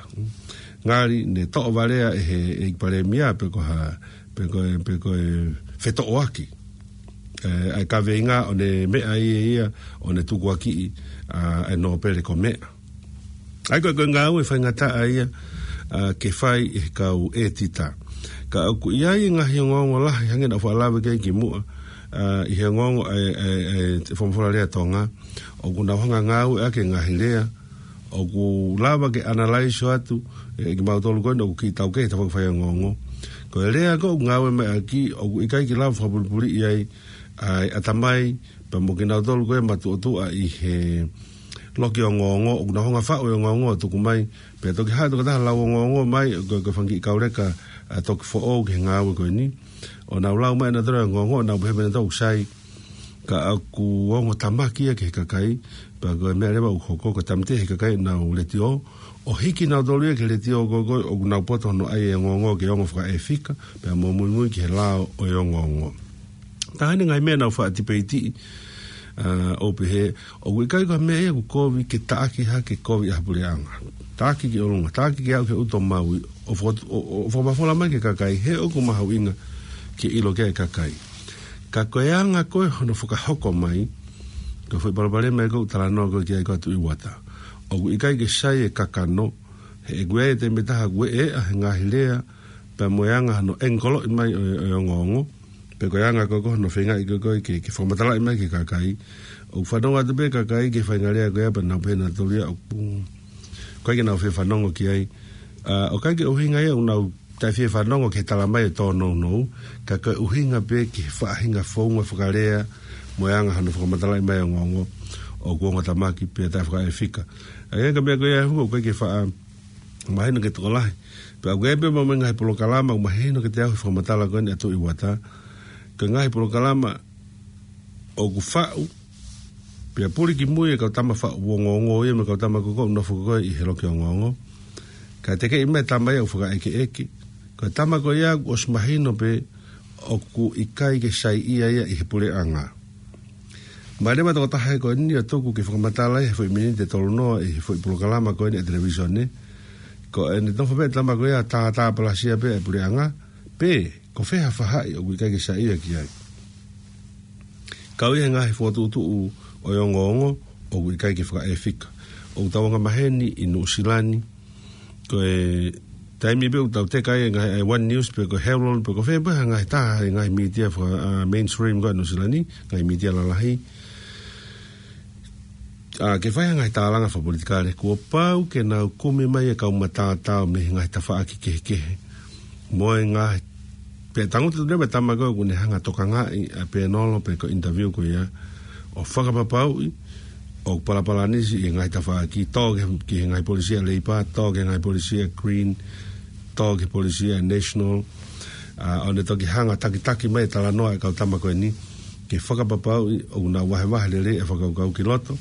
Ngali ne toʻo valea ʻe he, ʻEiki Palēmia pe ko ha, pe ko e, pe ko e fetoʻoaki. ʻE, ʻa e kaveinga ʻo ne meʻa ia ia, ʻo ne tukuakiʻi, ʻa, ʻa e nōpele ko meʻa. ʻA ia ko e, ko e ngāue faingataʻa ia, ʻa, ke fai ʻe he kau ʻētita. Ka ʻoku ʻi ai e ngaahi ongoongo lahi hangē naʻa ku faʻa lave ki ai kimuʻa, ʻa, ʻi he ongoongo ʻa e, ʻa e, ʻa e folofola lea Tonga, ʻoku nau hanga ngāueʻaki e ngaahi lea, ʻoku lava ke analyze atu, ʻe, kimautolu ko eni ʻoku kiʻi taukei he tafaʻaki fai ongoongo. Ko e lea ko ē ʻoku ngāueʻaki, ʻoku ʻikai ke lava fakapulipuliʻi ai ʻa e ʻatamai, pea mo kinautolu ko ē matuʻotuʻa ʻi he loki ongoongo, ʻoku nau hanga faʻu e ongoongo ʻo tuku mai, pea toki haʻu e tokotaha lau ongoongo mai, ko e, ko e fanga kiʻi kauleka, ʻa, toki foʻou ki he ngāue ko eni. ʻO nau lau mai ʻenautolu e ongoongo, ʻo nau pehē pē ʻenautolu ʻoku sai, ka ʻoku ongo tamaki ia ki he kakai, pea ko e meʻa leva ʻoku hoko, ko e tāmateʻi ʻe he kakai ʻenau letiō, ʻo hiki kinautolu ia ki he letiō ko ē, ko ē ʻoku nau poto hono ʻai e ongoongo ke ongo fakaʻefika, pea mo muimui ki he lao ʻo e ongoongo. Taha eni e ngaahi meʻa naʻa ku faʻa tipeitiʻi, ʻa, ʻo pehē, ʻoku ʻikai ko ha meʻa ia ʻoku kovi ke taʻaki hake kovi ʻa ha puleʻanga. Taʻaki ki ʻolunga, taʻaki ke aʻu ki he ʻuto maui, ʻo fo-, ʻo, ʻo, ʻo fakamafola mai ki he kakai, he ʻoku mahuʻinga ke ʻilo ki ai e kakai. Ka ko e anga ko ē hono fakahoko mai, ko e foʻi palopalema ia ʻoku ou talanoa ko ē ki ai ko ē ʻa Tuʻi Uata. ʻOku ʻikai ke sai e kakano, he ʻoku ʻi ai e taimi ʻe taha ʻoku ʻeʻa he ngaahi lea, pea mo e anga hono ʻengikoloʻi mai ʻo, ʻo e ongoongo, pe ko e anga ko ē ko ē hono feingaʻi ko ē ko ē ke, ke fakamatalaʻi mai ki he kakai. ʻOku fanongo atu pē kakai ki he faʻahinga lea ko ia pea nau pehē ʻenautolu ia ʻoku, ʻoku ʻikai ke nau fie fanongo ki ai. ʻA, ʻoku ʻikai ke ʻuhinga ia ʻoku nau taʻefie fanongo ki he tala mai ʻo e tōnounou, ka ko e ʻuhinga pē ki he faʻahinga founga fakalea, mo e anga hono fakamatalaʻi mai e ongoongo, ʻoku ongo tamaki pea taʻefakaʻefika. ʻA ia ko e meʻa ko ia ʻoku ʻikai ke faʻa mahino ki he tokolahi. Pea ʻoku ʻi ai pē mo e ngaahi polokalama ʻoku mahino kiate au he fakamatala ko eni ʻa Tuʻi Uata. Ko e ngaahi polokalama ʻoku faʻu, pea puli ki mui e kau tama faʻu ongoongo ia mo e kau tama ko ē ʻoku nofo ko ē ʻi he loki ongoongo. Ka tekeʻi mai e tama ia ʻoku fakaʻekeʻeke. Ko e tama ko ia ʻoku ʻosi mahino pē ʻoku ʻikai ke saiʻia ia ʻi he puleʻanga. Mai leva e tokotaha ko eni ʻo tuku ke fakamatala he foʻi miniti ʻe tolu noa ʻi he foʻi polokalama ko eni ʻa e televīsone. Ko ʻene nofo pē e tama ko ia ʻo tātāpalasia pē e puleʻanga, pe ko e fē ha faʻahi ʻoku ʻikai ke saiʻia ki ai. Kau ʻi he ngaahi fokotuʻutuʻu ʻo e ongoongo ʻoku ʻikai ke fakaʻefika. ʻOku tau anga maheni ʻi Nuʻusila ni, ko e taimi pē ʻoku tau teka ai e ngaahi, ʻa e One News pe ko e Herald pe ko fē pē ha ngaahi taha e ngaahi mītia faka-, ʻa, mainstream ko ē ʻa Nuʻusila ni, ngaahi mītia lalahi. ʻA, ke fai ha ngaahi tālanga fakapolitikale, kuo pau ke nau kumi mai e kau matātao mei he ngaahi tafaʻaki kehekehe. Mo e ngaahi, pea tangutu leva e tama ko ē ʻoku ne hanga ʻo tokangaʻi ʻa e pēnolo pe ko e interview ko ia, ʻo fakapapauʻi ʻoku palapalanisi e ngaahi tafaʻaki, tō ki he, ki he ngaahi polisi ʻa Leipa, tō ki he ngaahi polisi ʻa Green, tō ki he polisi ʻa National, ʻa, ʻo ne toki hanga ʻo takitaki mai e talanoa e kau tama ko eni, ke fakapapauʻi ʻoku nau vahevahe lelei e fakakaukau ki loto,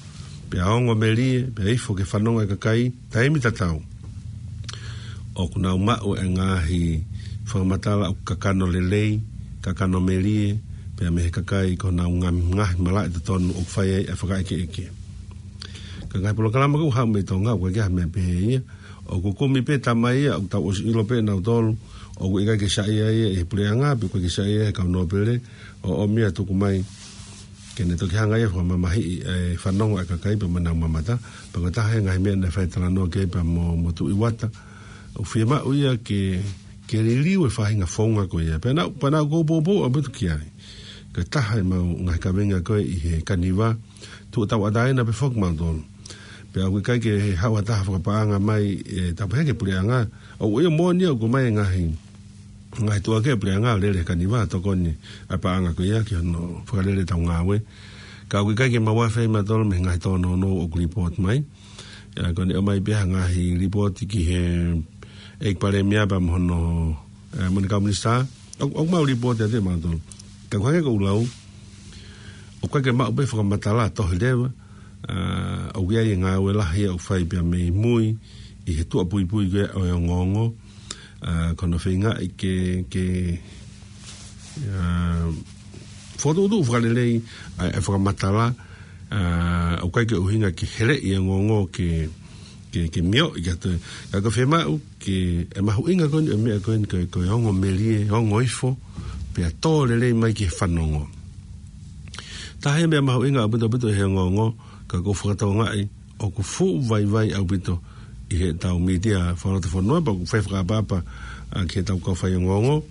pea ongo melie, pea ifo ki he fanongo e kakai, taimi tatau ʻoku nau maʻu e ngaahi fakamatala ʻoku kakano lelei, kakano melie, pea mei he kakai ko honau ngaahi, ngaahi malaʻe totonu ʻoku fai ai e fakaʻekeʻeke. Ka e ngaahi polokalama ko ē ʻoku haʻu mei Tonga, ʻoku ʻikai ke ʻi ai ha meʻa pehē ia, ʻoku kumi pē e tama ia ʻoku tau ʻosi ʻilo pē ʻenautolu ʻoku ʻikai ke saiʻia ia ʻi he puleʻanga, pe ʻoku ʻikai ke saiʻia ia he kau nōpele, ʻo ʻomi ia ʻo tuku mai ke ne toki hanga ia ʻo fakamamahiʻi e fanongo e kakai pea mo ʻenau mamata. Pea ko e taha e ngaahi meʻa naʻe fai e talanoa ki ai pea mo, mo Tuʻi Uata, ʻoku fiemaʻu ia ke, ke liliu e faʻahinga founga ko ia. Pea naʻa, pea naʻa ku poupou ʻaupito ki ai. Ko e taha e mau ngaahi kaveinga ko ē ʻi he Kaniva, tuʻu tauʻatāina pē foki mautolu. Pea ʻoku ʻikai ke haʻu ha taha ʻo fakapaʻanga mai, ʻe, tau pehē ki he puleʻanga. ʻOku ʻio moʻoni ia ʻoku ʻomai e ngaahi, ngaahi tuʻuaki ʻa e puleʻanga ʻo lele he Kaniva ʻo tokoni ʻa e paʻanga ko ia ki hono fakalele ʻetau ngāue. Ka ʻoku ʻikai ke mau afe ai mautolu mei he ngaahi tōnounou ʻoku report mai. ʻA, ko ʻene ʻomai pē ha ngaahi report ki he ʻEiki Palēmia pea mo hono, ʻe, mo ʻene kau minisitā. ʻOku, ʻoku mau report atu ʻe mautolu. Ka ʻoku hangē ko ʻeku lau, ʻoku ʻikai ke maʻu pē fakamatala tohi leva, ʻa, ʻoku ʻi ai e ngāue lahi ʻoku fai pea mei mui ʻi he tuʻa puipui ko ē ʻo e ongoongo, ʻa, ko hono feingaʻi ke, ke, ʻa, fokotuʻutuʻu fakalelei ʻa e fakamatala, ʻa, ʻoku ʻikai ke ʻuhinga ke heleʻi e ongoongo ke, ke, ke mioʻi ka toe. Ka ko e fiemaʻu ke, ʻe mahuʻinga ko eni, ʻa e meʻa ko eni ko e, ko e ongo melie, ongo ifo, pea tō lelei mai ki he fanongo. Taha ia e meʻa mahuʻinga ʻaupito ʻaupito he ongoongo, ka ʻoku ou fakatokangaʻi ʻoku fuʻu vaivai ʻaupito ʻi heʻetau mītia fakalotofonua, pea ʻoku fai fakaʻapaʻapa, ʻa, ki heʻetau kau faiongoongo,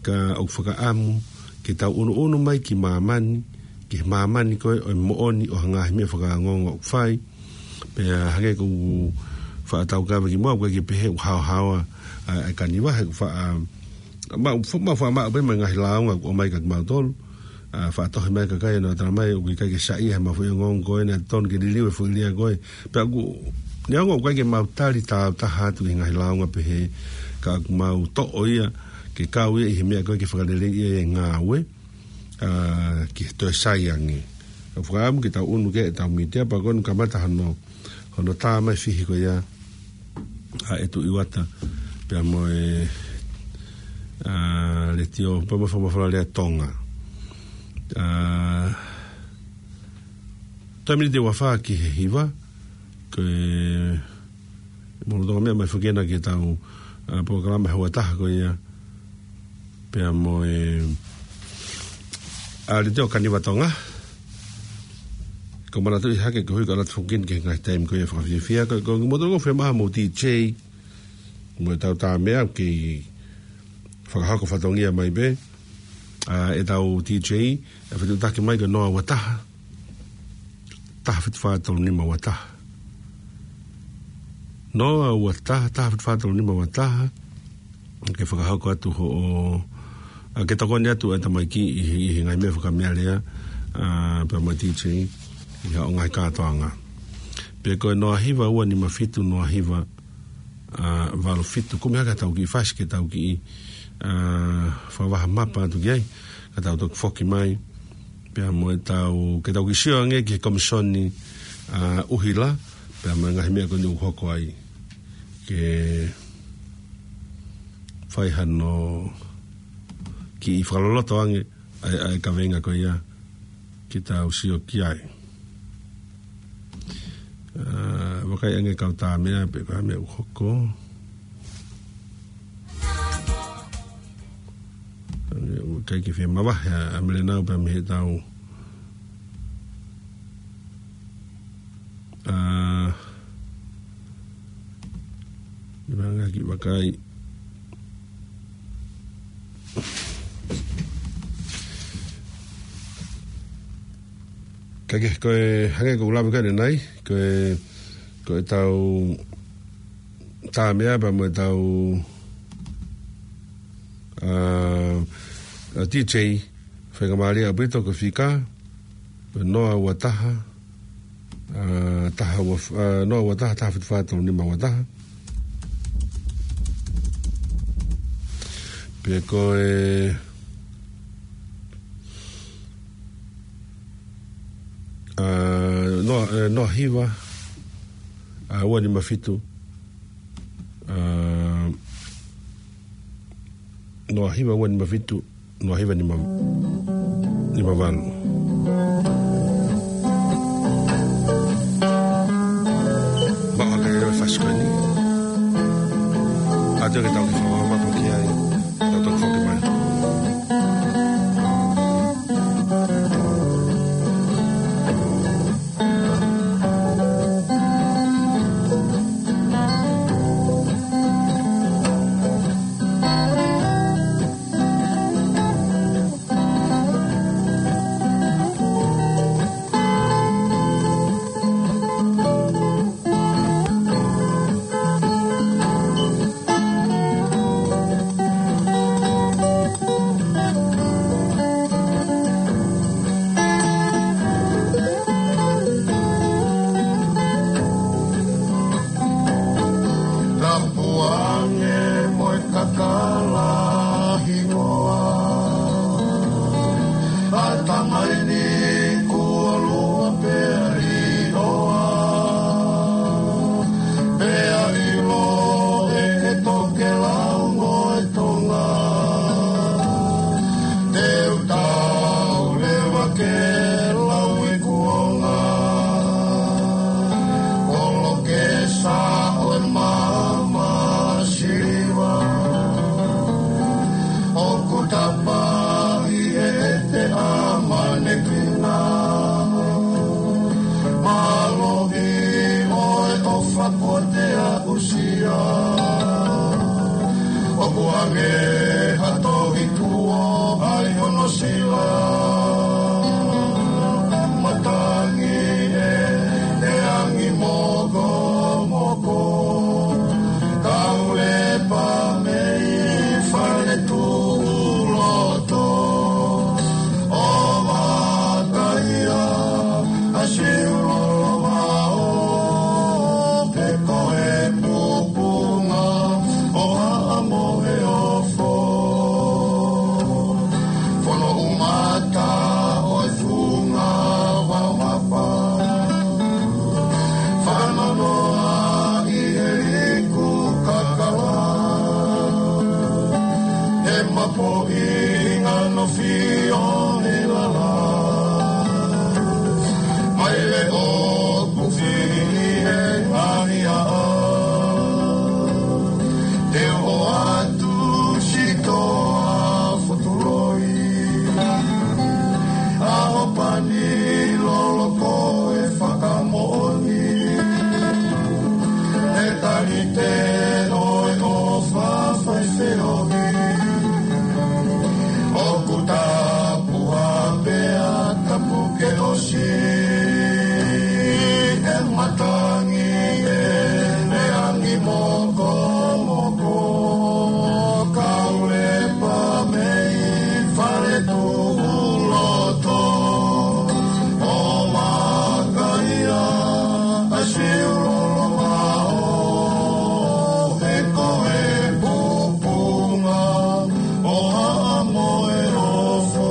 ka ʻoku fakaʻamu ke tau ʻunuʻunu mai ki māmani, ki māmani ko ē ʻo e moʻoni ʻo e ngaahi meʻa fakaongoongo ʻoku fai. Pea hangē ko ʻeku faʻa tau kave ki muʻa, ʻoku ʻikai ke pehē ʻoku haohaoa ʻa e kaniva, he ʻoku faʻa, ma, ma faʻa maʻu pē mo e ngaahi lāunga ʻoku ʻomai kia kimautolu. ʻA, faʻa tohi mai e kakai ʻo nau tala mai ʻoku ʻikai ke saiʻia he mafoʻi ongoongo ko ē, naʻe tonu ke liliu e foʻi lea ko ē. Pea ʻoku, neongo ʻoku ʻikai ke mau tali taautaha atu ki he ngaahi lāunga pehē, ka ʻoku mau toʻo ia ke kau ia ʻi he meʻa ko ē ke fakaleleiʻi e ngāue, ʻa, ki he toe sai ange. ʻOku ou fakaʻamu ke tau ʻunu ki ai ʻetau mītia, pea ko ʻeni kamata hono, hono tā mai e fihi ko ia ʻa ʻEtu ʻIuata, pea mo e, ʻa, Letiō, pea mo e Fakamafola Lea Tonga. ʻA, toe miniti ua fā ki he hiva, ko e, mo e lolotonga meʻa mai foki ena ki heʻetau, ʻa, polokalama he houa ʻe taha ko ia, pea mo e, ʻa, Letiō Kaniva Tonga. Ko e manatuʻi hake ko e hui ka lata foki ki he ngaahi taimi ko ia fakafiefia, ko, ko e motuʻa ko e fiemaʻu mo e D J, mo ʻetau tā meʻa ke fakahoko fatongia mai pē. ʻA, ʻetau D J, ʻe fetuʻutaki mai ko Noa ua taha, taha fitu fā tolu nima ua taha. Noa ua taha, taha fitu fā tolu nima ua taha. Ke fakahoko atu hoʻo, ʻa, ke tokoni atu e tamaiki ʻi he, ʻi he ngaahi meʻa fakameʻalea, ʻa, pea mo e D J, ʻi haʻo ngaahi kātoanga. Pe ko e noa hiva ua nima fitu noa hiva, ʻa, valu fitu. Kumi hake ʻetau kiʻi fasi ke tau kiʻi, ʻa, fakavaha mapa atu ki ai, ka tau toki foki mai. Pea mo ʻetau, ke tau kiʻi sio ange ki he komisoni, ʻa, ʻuhila, pea mo e ngaahi meʻa ko eni ʻoku hoko ai. Ke fai hano kiʻi fakaloloto ange ʻa e, ʻa e kaveinga ko ia ke tau sio ki ai. ʻA, vakai ange kau tā meʻa pe ko e hā e meʻa ʻoku hoko. ʻA, ʻoku ʻikai ke fie mavahe ʻa, ʻa Melenau pea mei heʻetau, ʻa, ʻi vanga ki vakai. Ka ke, ko e hangē ko ʻeku lave ko ē ʻanenai, ko e, ko ʻetau tā meʻa pea mo ʻetau, ʻa, ʻa, D J, faingamālie ʻaupito ko e fika, ko e noa ua taha, ʻa, taha ua f-, ʻa, noa ua taha, taha fitu fā tolu nima ua taha. Pe ko e, ʻa, noa, ʻe, noa hiva, ʻa, ua nima fitu, ʻa, noa hiva ua nima fitu, noa hiva nima, nima valu. Maʻu hake e fasi ko eni. ʻA, te ke tau ke fakamaʻu ki ai. Tau toki foki mai. Tapuange mo e kakala hingoa. ʻA e tamaiki kuo lua pea ʻiloa. Pea ʻilo ʻe he tokelau mo e Tonga. Te u tau leva ke lau i kuonga. Kolo ke sa ʻo e maama siliva. ʻOku tapa ʻi he ʻete ʻa manekina. Mālohi ʻo e ʻofa ko te aʻusia. ʻOku ange ha tohi kuo ʻai hono Sila, matangi ʻe, ʻe angi mokomoko. Kaulepa mei fale tuʻu loto. ʻO mataia, ʻa siulolo vao, pe ko e pupunga ʻo Haʻa Moheofo. Fono umata ʻo e funga vao mapa. Fananoa ʻi he liku kakala. He mapoʻi ngano fio he lala. Mai le o kufi he ngani a. Te o atu sitoa fotuloi. Aho pani loloko e fakamoʻoni. He tali te o e o fafai feohi. ʻOku tapu a pea tapu ke ʻosi. E matangi e meangi mokomoko. Kaulepa mei fale tuʻu loto. ʻO makaia a siulolo vao. He ko e pupunga ʻo Haʻa Moheofo.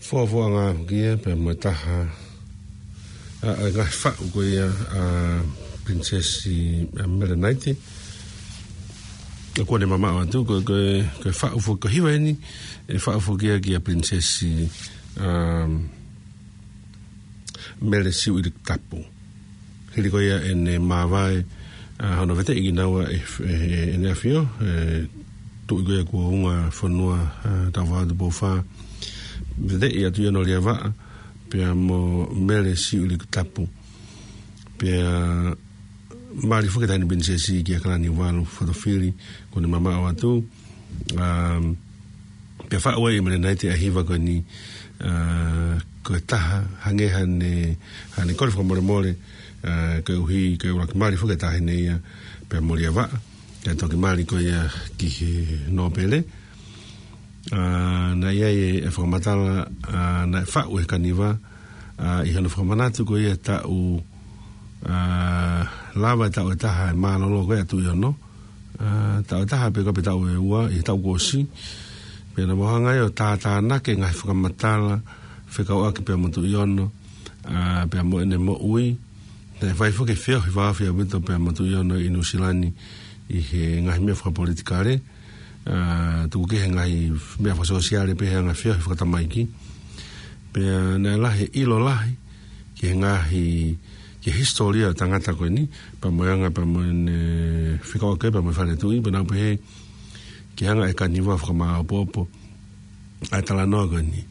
Fuafuanga kia pea mo e taha ʻa e ngaahi faʻu ko ia ʻa Princess ʻa Mele Naite. ʻOku ne mamaʻo atu ko, ko, ko e faʻu foki ko e hiva eni, e faʻu foki ia kia Princess ʻa Mele Siuʻilikutapu. Hili ko ia ʻene māvae ʻa hono veteʻi kinaua ʻe, ʻe, ʻEne ʻAfio, ʻe, Tuʻi ko ia Kuo Unga Fonua, ʻa, Taufaʻahau Tupou Fā. Veteʻi ʻa Tuʻiʻono Liavaʻa, pea mo Mele Siuʻilikutapu. Pea mali foki e Taʻahine Pilinisesi kia Kalaniuvalu Fotofili, ʻoku ne mamaʻo atu. Um, pea faʻu ai ʻe Mele Naite ʻa e hiva ko eni, uh, ko e taha, hangē haʻane, haʻane kole fakamolemole, uh, koeʻuhi, ko e ʻuluaki mali foki e taʻahine ia, pea mo Liavaʻa, kae toki mali ko ia ki he nōpele. Uh, naʻe ʻi ai e, e fakamatala, uh, naʻe faʻu ʻe he kaniva, uh, ʻi hono fakamanatu ko ia taʻu, uh, lava e taʻu ʻe taha e mālōlō ko ia ʻa Tuʻiʻono, ʻa, taʻu ʻe taha pe ko e pe taʻu ʻe ua, ʻi he taʻu kuo ʻosi. Pea naʻa mau hanga ai ʻo tātānaki e ngaahi fakamatala fekauʻaki pea mo Tuʻiʻono, ʻa, pea mo ʻene moʻui. Naʻe fai foki e feohi fakaʻaufito pea mo Tuʻiʻono ʻi Nuʻusila ni ʻi he ngaahi meʻa fakapolitikale, ʻa, tuku ki he ngaahi meʻa fakasōsiale pea he ngaahi feohi fakatamaiki. Pea naʻe lahi e ʻilo lahi ki he ngaahi, ki he hisitōlia ʻo e tangata ko eni, pea mo e anga, pea mo ʻene fekauʻaki, pea mo e fale tuʻi, pea naʻa ku pehē ke hanga ʻe he kaniva ʻo fakamāopoopo ʻa e talanoa ko eni.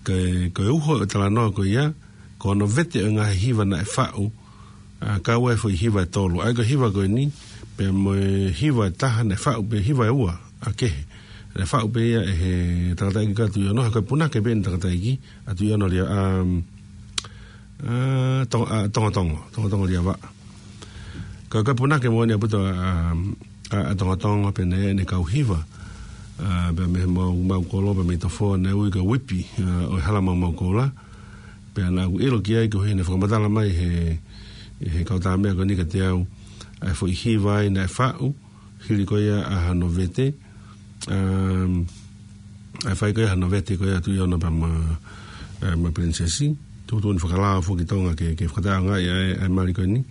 Ko e, ko e uho ʻo e talanoa ko ia, ko hono vete ʻo e ngaahi hiva naʻe faʻu, ʻa, kau ai e foʻi hiva ʻe tolu. ʻA ia ko e hiva ko eni, pea mo e hiva ʻe taha naʻe faʻu pē, hiva ʻe ua ʻa kehe. Naʻe faʻu pē ia ʻe he tangataʻeiki ko ia ʻa Tuʻiʻono, he ko e punake pē eni e tangataʻeiki ʻa Tuʻiʻono Lia-, um, ʻa, Tong-, ʻa, Tongotongo, Tongotongo Liavaʻa. Ko e, ko e punake moʻoni ʻaupito, um, ʻa, ʻa Tongotongo pea naʻe ʻi ai ʻene kau hiva, ʻa, pea mei he Maumau Kolo, pea mei Tofoa naʻe ui ko e Whippy, ʻa, ʻo e Hala Maumau Koula. Pea naʻa ku ʻilo ki ai koeʻuhi naʻe fakamatala mai ʻe he, ʻe he kau tāmeʻa ko eni kiate au ʻa e foʻi hiva ia naʻe faʻu, hili ko ia ʻa hono vete, um, ʻa e fai ko ia hono vete ko ia ʻa Tuʻiʻono pea mo, eh, mo e Pilinisesi. Tuʻutuʻuni fakalao foki ki Tonga ke, ke fakataʻeʻaongaʻi ʻa e, ʻa e mali ko eni.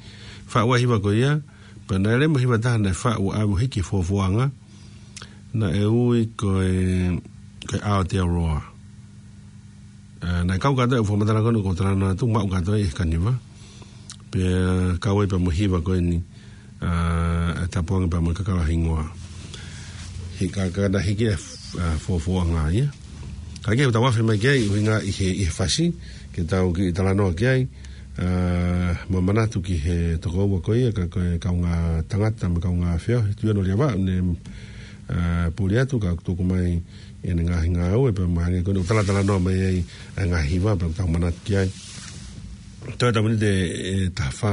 Faʻu ʻa e hiva ko ia, pea naʻe ʻi ai mo e hiva ʻe taha naʻe faʻu ʻo aʻu hiki he fuafuanga, naʻe ui ko e, ko e Aotearoa. ʻA, naʻe kau kātoa e fakamatala ko eni ʻoku ou talanoa atu, maʻu kātoa ʻe he kaniva. Pea kau ai pea mo e hiva ko eni, ʻa, ʻa e Tapuangi pea mo e Kakala Hingoa. He ka, ka naʻe hiki e, ʻa, fuafuanga ia. Ka ke tau afe mai ki ai, ʻuhinga ʻi he, ʻi he fasi, ke tau kiʻi talanoa ki ai. ʻA, mo manatu ki he tokoua ko ia, ka ko e kaungā tangata mo e kaungā feohi, Tuʻiʻono Liavau, ne, ʻa, puli atu ka tuku mai ʻene ngaahi ngāue, pea mahalo ko eni ʻoku talatalanoa mai ai ʻa e ngaahi hiva, pea tau manatu ki ai. Toe tapu ni te, e, taha fā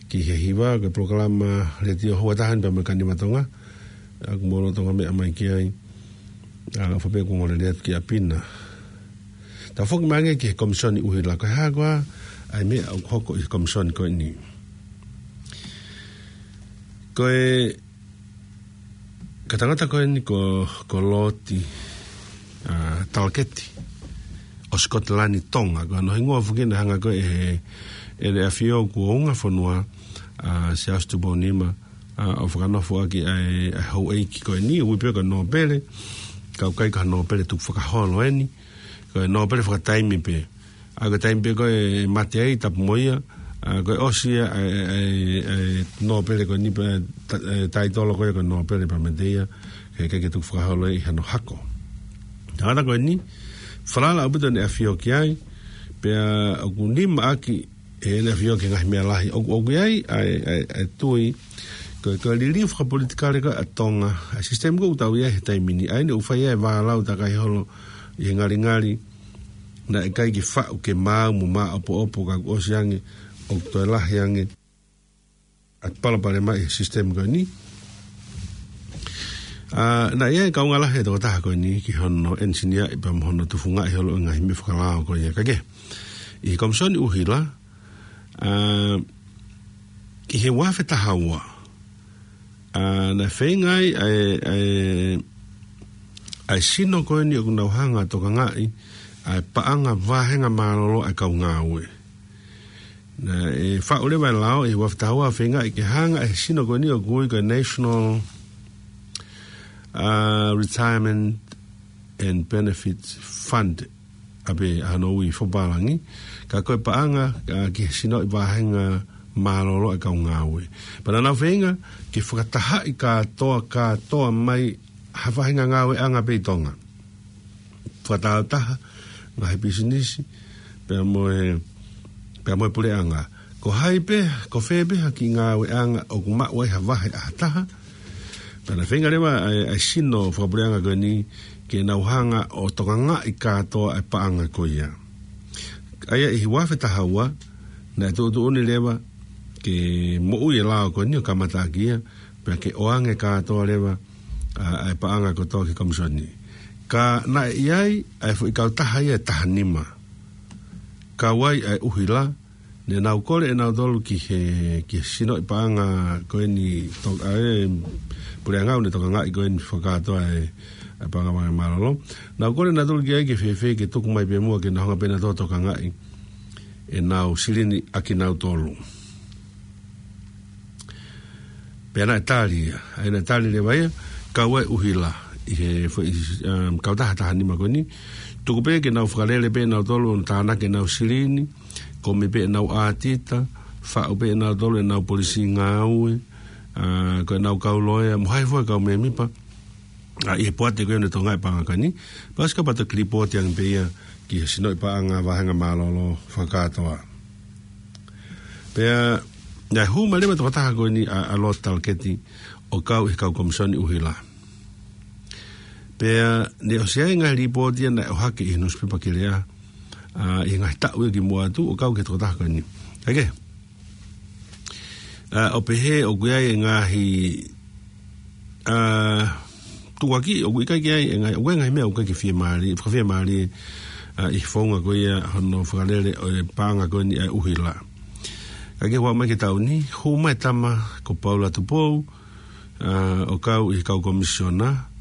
ki he hiva, ko e polokalama letiō houa taha ni pea mo e Kanimatonga. ʻOku mou loto ngata mai ki ai. ʻA, ʻofa pē kuo ngolele atu ki ʻapi na. Tau foki mai ange ki he Komisoni ʻUhila, ko e hā koā ʻa e meʻa ʻoku hoko ʻi he Komisoni ko eni. Ko e, ko e tangata ko eni ko, ko Loti, ʻa, Talaketi ʻo Sikotilani Tonga, ko hono hingoa foki naʻe hanga ko ē ʻe he, ʻe he ʻAfio kuo unga fonua, ʻa, Siaosi Tupou Nima, ʻa, ʻo fakanofo ʻaki ʻa e, ʻa e houʻeiki ko eni, ui pē ko e nōpele, ka ʻoku ʻikai ko ha nōpele tukufakaholo eni, ko e nōpele fakataimi pē. ʻA, ko e taimi pē ko ē mate ai tapu mo ia, ʻa, ko e ʻosi ia ʻa e, ʻa e, ʻa e nōpele ko eni pē, ta-, ʻa e taitolo ko ia ko e nōpele pea mate ia, he ʻikai ke tukufakaholo ʻi hano hako. Tangata ko eni, falala ʻaupito ʻene ʻAfio ki ai, pea ʻoku nima ʻaki ʻe heʻene ʻAfio ki he ngaahi meʻa lahi. ʻOku, ʻoku ʻi ai ʻa e, ʻa e, ʻa e tui, ko e, ko e liliu fakapolitikale ko ē ʻa Tonga, ʻa e sisitemi ko ē ʻoku tau ʻi ai he taimi ni, ʻa eni ʻoku fai ai e vālau takai holo ʻi he ngalingali, naʻe ʻikai ke faʻu ke maau mo maʻopoʻopo ka kuo ʻosi ange, ʻoku toe lahi ange ʻa e palopalema ʻi he sisitemi ko eni. ʻA, naʻe ʻi ai e kaungā lahi e tokotaha ko eni ki hono ʻenisiniaʻi pea mo hono tufungaʻi holo e ngaahi meʻa fakalao ko ia ka ke. ʻI he Komisoni ʻUhila, ʻa, ʻi he ua afe taha ua, ʻa, naʻe feinga ai ʻa e, ʻa e, ʻa e sino ko eni ʻoku nau hanga ʻo tokangaʻi ʻa e paʻanga vāhenga mālōlō ʻa e kau ngāue. Naʻe faʻu leva e lao ʻi he ua afe taha ua ʻo feingaʻi ke hanga ʻe he sino ko eni ʻoku ui ko e National, ʻa, Retirement and Benefits Fund, ʻa pē ʻa hono ui fakapālangi, ka ko e paʻanga, ʻa, ki he sinoʻi vāhenga mālōlō ʻa e kau ngāue. Pea naʻa nau feinga ke fakatahaʻi kātoa, kātoa mai ha vāhenga ngāueʻanga pē ʻi Tonga. Fakataautaha, ngaahi pisinisi, pea mo e, pea mo e puleʻanga. Ko hai pē, ko fē pē ha kiʻi ngāueʻanga ʻoku maʻu ai ha vahe ʻa ha taha, pea naʻe feinga leva ʻa e, ʻa e sino fakapuleʻanga ko eni ke nau hanga ʻo tokangaʻi kātoa e paʻanga ko ia. ʻA ia ʻi he ua afe taha ua, naʻe tuʻutuʻuni leva ke moʻui e lao ko eni ʻo kamata ʻaki ia, pea ke ʻoange kātoa leva, ʻa, ʻa e paʻanga kotoa ki he Komisoni. Ka naʻe ʻi ai ʻa e foʻi kautaha ia ʻe taha nima. Kau ai ʻa e ʻUhila, ne nau kole ʻe nautolu ki he, ki he sinoʻi paʻanga ko eni to-, ʻa e puleʻanga ʻoku ne tokangaʻi ko eni fakakātoa e, ʻa e paʻanga vāhenga mālōlō. Nau kole ʻe nautolu ki ai ke fēfē ke tuku mai pē muʻa ke nau hanga pē nautolu ʻo tokangaʻi ʻenau silini ʻakinautolu. Pea naʻe tali ia, ʻa ia naʻe tali leva ia, kau ai ʻUhila, ʻi he foʻi, um, kautaha taha nima ko eni, tuku pē ke nau fakalele pē nautolu ʻo tānaki ʻenau silini, kumi pē ʻenau ʻātita, faʻu pē nautolu ʻenau polisi ngāue, ʻa, ko ʻenau kau loea, mo hai fua kau mēmipa, ʻa, ʻi he poate ko ē ʻoku ne tokangaʻi e paʻanga ko eni, pea ʻosi kapau te ke lipooti ange pē ia ki he sinoʻi paʻanga vāhenga mālōlō fakakātoa. Pea, naʻe hū mai leva e tokotaha ko eni ʻa, ʻa Lord Talaketi ʻo kau ʻi he kau Komisoni ʻUhila. Pea, ne ʻosi ʻi ai e ngaahi lipooti ia naʻe ʻohake ʻi he nusipepa Kilea, ʻa, ʻi he ngaahi taʻu ia kimuʻa atu ʻo kau ki he tokotaha ko eni. ʻA ke? ʻA, ʻo pehē ʻoku ʻi ai e ngaahi, ʻa, tuʻuaki ʻoku ʻikai ke ʻi ai e ngaahi, ʻoku ʻi ai e ngaahi meʻa ʻoku ʻikai ke fiemālie, fakafiemālie, ʻa, ʻi he founga ko ia hono fakalele ʻo e paʻanga ko eni ʻa e ʻUhila. Ka ke ʻoua mai ke tau ni, hū mai e tama ko Paula Tupou, ʻa, ʻo kau ʻi he kau komisiona,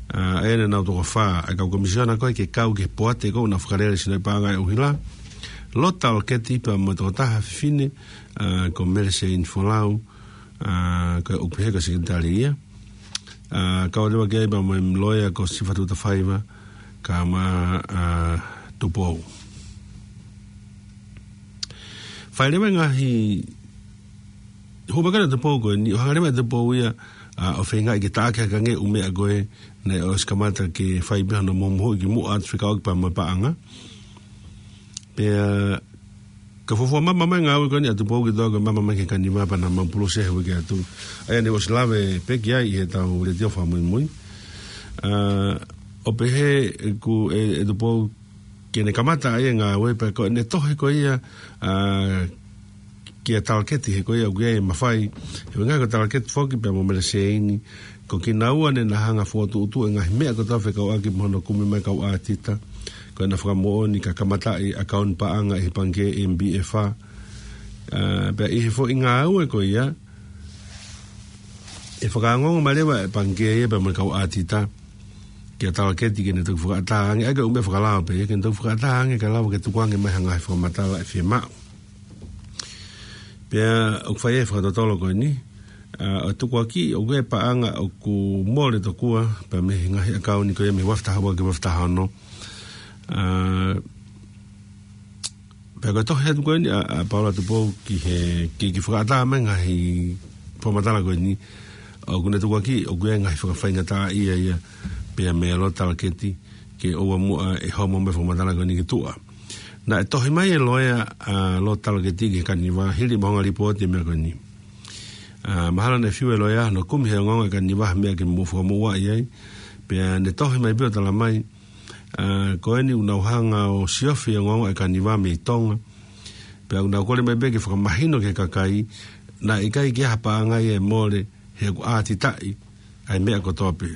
ʻa, ʻa ia naʻa nau toko fā, ʻa e kau komisiona ko ē ke kau ki he poate ko ē ʻoku nau fakalele e sinoʻi paʻanga ʻa e ʻUhila. Lord Talaketi pea mo e tokotaha fefine, ʻa, ko Mele Seini Folau, ʻa, ko e ʻoku pehē ko e sekelitali ia. ʻA, kau leva ki ai pea mo e loea ko Sifatu Tafaiva, kae ʻumaʻā, ʻa, Tupou. Fai leva e ngaahi, hū mai ko ē ʻa Tupou ko eni, ʻo hanga leva ʻe Tupou ia, ʻa, ʻo feingaʻi ke taʻaki hake ange e ʻū meʻa ko ē, naʻe ʻosi kamata ke fai pē hono mohumohuʻi kimuʻa atu fekauʻaki pea mo e paʻanga. Pea, Ka fuofua mama mai ngāue ko eni ʻa Tupou ki toa ko e mama mai ki he kaniva pea naʻa mau pulusi he uike atu. ʻA ia ne u ʻosi lave pē ki ai ʻi heʻetau letiō fakamuimui. ʻA, ʻo pehē ʻe ku-, ʻe, ʻe Tupou ke ne kamata ʻa ia ngāue pea ko ʻene tohi ko ia, ʻa, kia Talaketi he ko ia ʻoku ʻi ai e mafai. He ʻuhinga ko Talaketi foki pea mo Mele Seini, ko kinaua ne na hanga fokotuʻutuʻu e ngaahi meʻa kotoa fekauʻaki mo hono kumi mai kau ʻātita. Ko ʻena fakamoʻoni ka kamataʻi ʻakauni paʻanga ʻi he pangikē M B F A. ʻA, pea ʻi he foʻi ngāue ko ia, ʻe fakaongoongo mai leva e pangikē ia pea mo e kau ʻātita kia Talaketi ke ne toki fakaʻatā ange, ʻa ia ko e ʻū meʻa fakalao pē ia, ke ne toki fakaʻatā ange kae lava ke tukuange mai ha ngaahi fakamatala ʻe fiemaʻu. Pea ʻoku fai e fakatotolo ko eni, ʻa, ʻo tukuakiʻi ʻoku ʻi ai e paʻanga ʻoku mole tokua, pea mei he ngaahi ʻakauni ko ia mei he uafu taha ua ki he uafu taha ono. ʻA, pea ko e tohi atu ko eni ʻa, ʻa Paula Tupou ki he, ki, ki he fakaʻatā mai ngaahi fakamatala ko eni, ʻoku ne tukuakiʻi ʻoku ʻi ai ngaahi fakafaingataʻaʻia ia, pea mo Lord Talaketi, ke ʻoua muʻa ʻe homo mai e fakamatala ko eni ki tuʻa. Naʻe tohi mai e loea ʻa Lord Talaketi ki he kaniva, hili e maʻunga lipooti e meʻa ko eni. ʻA, mahalo naʻe fiu e loea hono kumi he ongoongo e kaniva ha meʻa ke mou fakamoʻuaʻi ai. Pea ne tohi mai pē ʻo tala mai, ʻa, ko eni ʻoku nau hanga ʻo siofi e ongoongo e kaniva mei Tonga. Pea ʻoku nau kole mai pē ke fakamahino ki he kakai, naʻe ʻikai ke ʻi ai ha paʻanga ia ʻe mole, he ʻoku ʻātitaʻi ʻa e meʻa kotoa pē.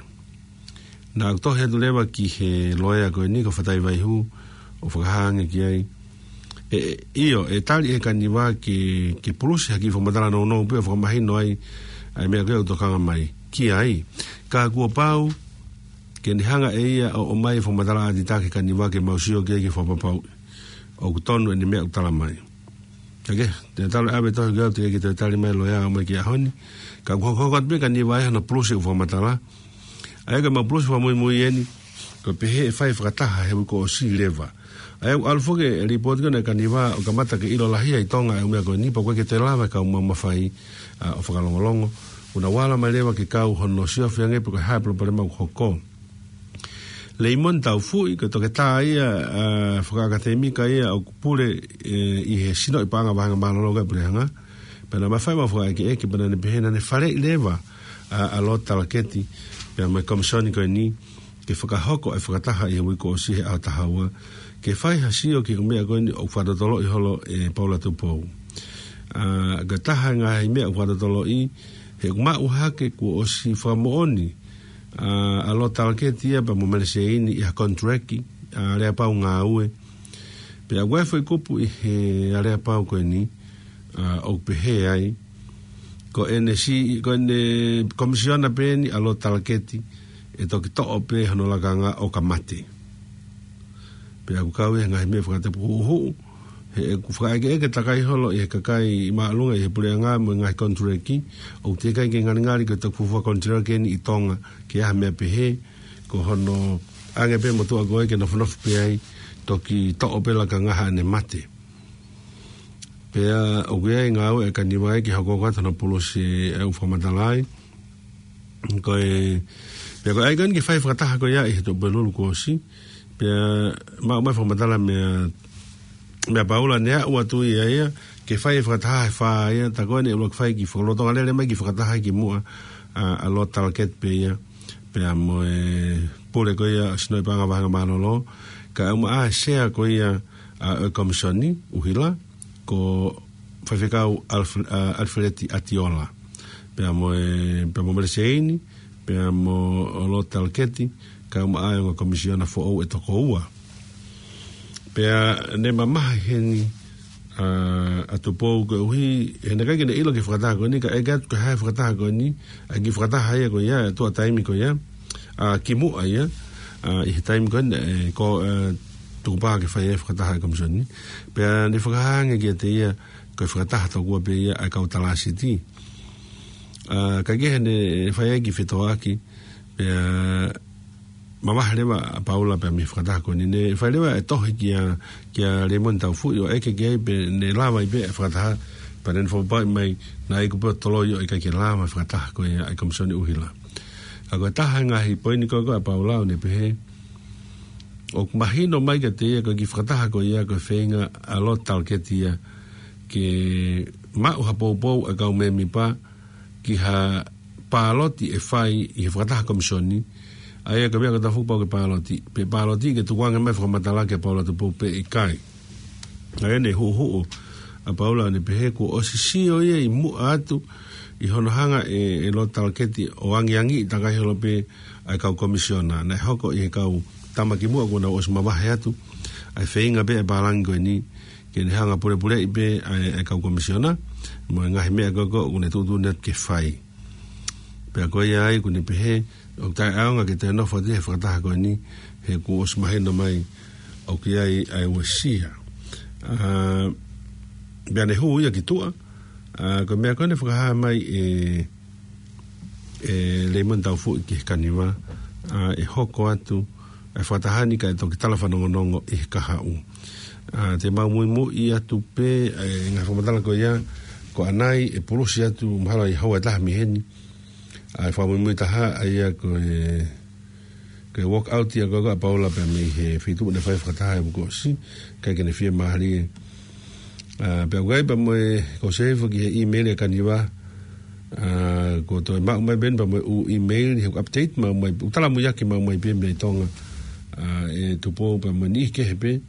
Naʻa ku tohi atu leva ki he loea ko eni ko Fatai Vaihū, ʻo fakahā ange ki ai. ʻE, ʻe, ʻio, ʻe tali ʻe he kaniva ke, ke pulusi ha kiʻi fakamatala nounou pē ʻo fakamahino ai ʻa e meʻa ko ia ʻoku tokanga mai ki ai. Ka kuo pau ke ne hanga ʻe ia ʻo ʻomai e fakamatala ʻātita ki he kaniva ke mau sio ki ai ke fakapapauʻi ʻoku tonu ʻene meʻa ʻoku tala mai. Ka ke, te tala ʻave tohi ke au te ke toe tali mai loea ʻo mai ki he ʻaho ni. Ka kuo hokohoko atu pē e kaniva ia hono pulusi e fakamatala. ʻA ia ko e mau pulusi fakamuimui eni, ko e pehē ʻe fai e fakataha he uike kuo ʻosi leva. ʻA ia ʻoku ʻalu foki e lipooti ko ena e kaniva ʻo kamata ke ʻilo lahi ai ʻi Tonga e ʻū meʻa ko eni pea ʻoku ʻikai ke toe lava e kau maumau fai, ʻa, ʻo fakalongolongo. ʻOku na uala mai leva ke kau hono siofi ange pe ko e hā e palopalema ʻoku hoko. Leimoni Taufuʻi, ko e toketā ia, ʻa, fakaʻakatēmika ia ʻoku pule, ʻe, ʻi he Sinoʻi Paʻanga Vāhenga Mālōlō ko e Puleʻanga. Pea naʻa ma fai ʻemau fakaʻekeʻeke, pea naʻa ne pehē naʻa ne faleʻi leva, ʻa, ʻa Lord Talaketi, pea mo e Komisoni ko eni, ke fakahoko e fakataha ʻi he uike kuo ʻosi he ʻaho taha ua, ke fai ha sio ki he ʻū meʻa ko eni ʻoku fakatotoloʻi holo ʻe Paula Tupou. ʻA, ko e taha e ngaahi meʻa ʻoku fakatotoloʻi, he ʻoku maʻu hake kuo ʻosi fakamoʻoni, ʻa, ʻa Lord Talaketi ia pea mo Mele Seini ʻi ha contract, ʻa, aleapau ngāue. Pea ʻoku ʻi ai e foʻi kupu ʻi he aleapau ko eni, ʻa, ʻoku pehē ai, ko ʻene si-, ko ʻene komisiona pē eni ʻa Lord Talaketi, ʻe toki toʻo pē hono lakanga ʻo ka mate. Pea ʻoku kau ia he ngaahi meʻa fakatapu huʻuhuʻu, he ʻoku fakaʻekeʻeke takai holo ʻe he kakai māʻolunga ʻi he puleʻanga mo e ngaahi contract, ʻoku teʻeki ai ke ngalingali ke toki fuofua contract eni ʻi Tonga, ke ʻi ai ha meʻa pehē, ko hono ʻange pē motuʻa ko ē ke nofonofo pē ai, toki toʻo pē lakanga haʻane mate. Pea ʻoku ʻi ai e ngāue ʻa e kaniva ia ke hokohoko atu hono pulusi e ʻū fakamatala ai. Ko e, pea ko e ʻai ko eni ke fai e fakataha ko ia ʻi he Tuʻapulelulu kuo ʻosi. Pea maʻu mai e fakamatala meia, meia Paula ne aʻu atu ia ia, ke fai e fakataha he fā ia, tā ko eni ʻe ʻuluaki fai e kiʻi fakalotolahi lele mai e kiʻi fakataha ki muʻa, ʻa, ʻa Lord Talaketi pē ia, pea mo e pule ko ia ʻo e Sinoʻi Paʻanga Vāhenga Mālōlō, kae ʻumaʻā e sea ko ia, ʻa, ʻo e Komisoni, ʻUhila, ko Faifekau Alf-, ʻa, Alifeleti ʻAtiola. Pea mo e, pea mo Mele Seini, pea mo Lord Talaketi, kae ʻumaʻā e ongo komisiona foʻou ʻe toko ua. Pea ne mamahi heni, ʻa, ʻa Tupou koeʻuhi, he naʻe ʻikai ke ne ʻilo ki he fakataha ko eni, kae ʻeke atu ko e hā e fakataha ko eni, ʻa e kiʻi fakataha ia ko ia, tuʻa taimi ko ia, ʻa, ki muʻa ia, ʻa, ʻi he taimi ko eni, ʻe, ko, ʻe, tukupā ke fai e fakataha ʻa e Komisoni. Pea ne fakahā ange kiate ia, ko e fakataha tokua pē ia ʻa e kau talāsiti. ʻA, kae kehe ne fai ai e kiʻi fetōʻaki, pea mavahe leva ʻa Paula pea mei he fakataha ko eni. Ne fai leva e tohi kia, kia Leimoni Taufuʻi ʻo ʻeke ki ai pe naʻe lava ai pē e fakataha, pea ne fakapapauʻi mai naʻe iku pē ʻo toloi ʻo ʻikai ke lava e fakataha ko ia ʻa e Komisoni ʻUhila. Ka ko e taha e ngaahi poini ko ē ʻa Paula ʻo ne pehē, ʻoku mahino mai kiate ia ko e kiʻi fakataha ko ia ko e feinga ʻa Lord Talaketi ia ke maʻu ha poupou ʻa e kau mēmipa ki ha pāloti ʻe fai ʻi he fakataha komisiona. ʻA ia ko e meʻa ko e tafoki pau ke pāloti. Pe pāloti ke tukuange mai fakamatala ke Paula Tupou pe ʻikai. ʻA ia ne huʻuhuʻu ʻa Paula ʻo ne pehē kuo ʻosi sio ia ʻi muʻa atu ʻi hono hanga ʻe, ʻe Lord Talaketi ʻo angiangiʻi takai holo pē ʻa e kau komisiona. Naʻe hoko ʻi he kau tama kimuʻa kuo nau ʻosi mavahe atu ʻa e feinga pē ʻa e pālangi ko eni ke ne hanga pulepuleʻi pē ʻa e, ʻa e kau komisiona mo e ngaahi meʻa ko ē ʻoku ne tuʻutuʻuni atu ke fai. Pea ko ia ai ʻoku ne pehē ʻoku taʻeʻaonga ke toe nofo atu he fakataha ko eni he kuo ʻosi mahino mai ʻoku ʻi ai ʻa e uesia. ʻA, pea ne hū ia ki tuʻa, ʻa, ko e meʻa ko ē ne fakahā mai ʻe, ʻe Leimoni Taufuʻi ki he Kaniva, ʻa, ʻe hoko atu ʻa e fakataha ni kae toki tala fanongonongo ʻi he kahaʻu. ʻA, te mau muimui atu pē ʻa e ngaahi fakamatala ko ia, ko ʻanai ʻe pulusi atu mahalo ʻi he houa ʻe taha mei heni. ʻA, ʻe fakamuimui taha ʻa ia ko e, ko e walk out ia ko ē ʻa Paula pea mei he feituʻu naʻe fai fakataha he uike kuo ʻosi, ʻikai ke ne fiemālie. ʻA, pea ʻoku ʻi ai pea mo e, ko e save ki he email ʻa e Kaniva, ʻa, kuo toe maʻu mai pē eni pea mo e ʻū email, he update maʻu mai, ʻū tala muiaki maʻu mai pē mei Tonga, ʻa, ʻe Tupou pea mo e niʻihi kehe pē,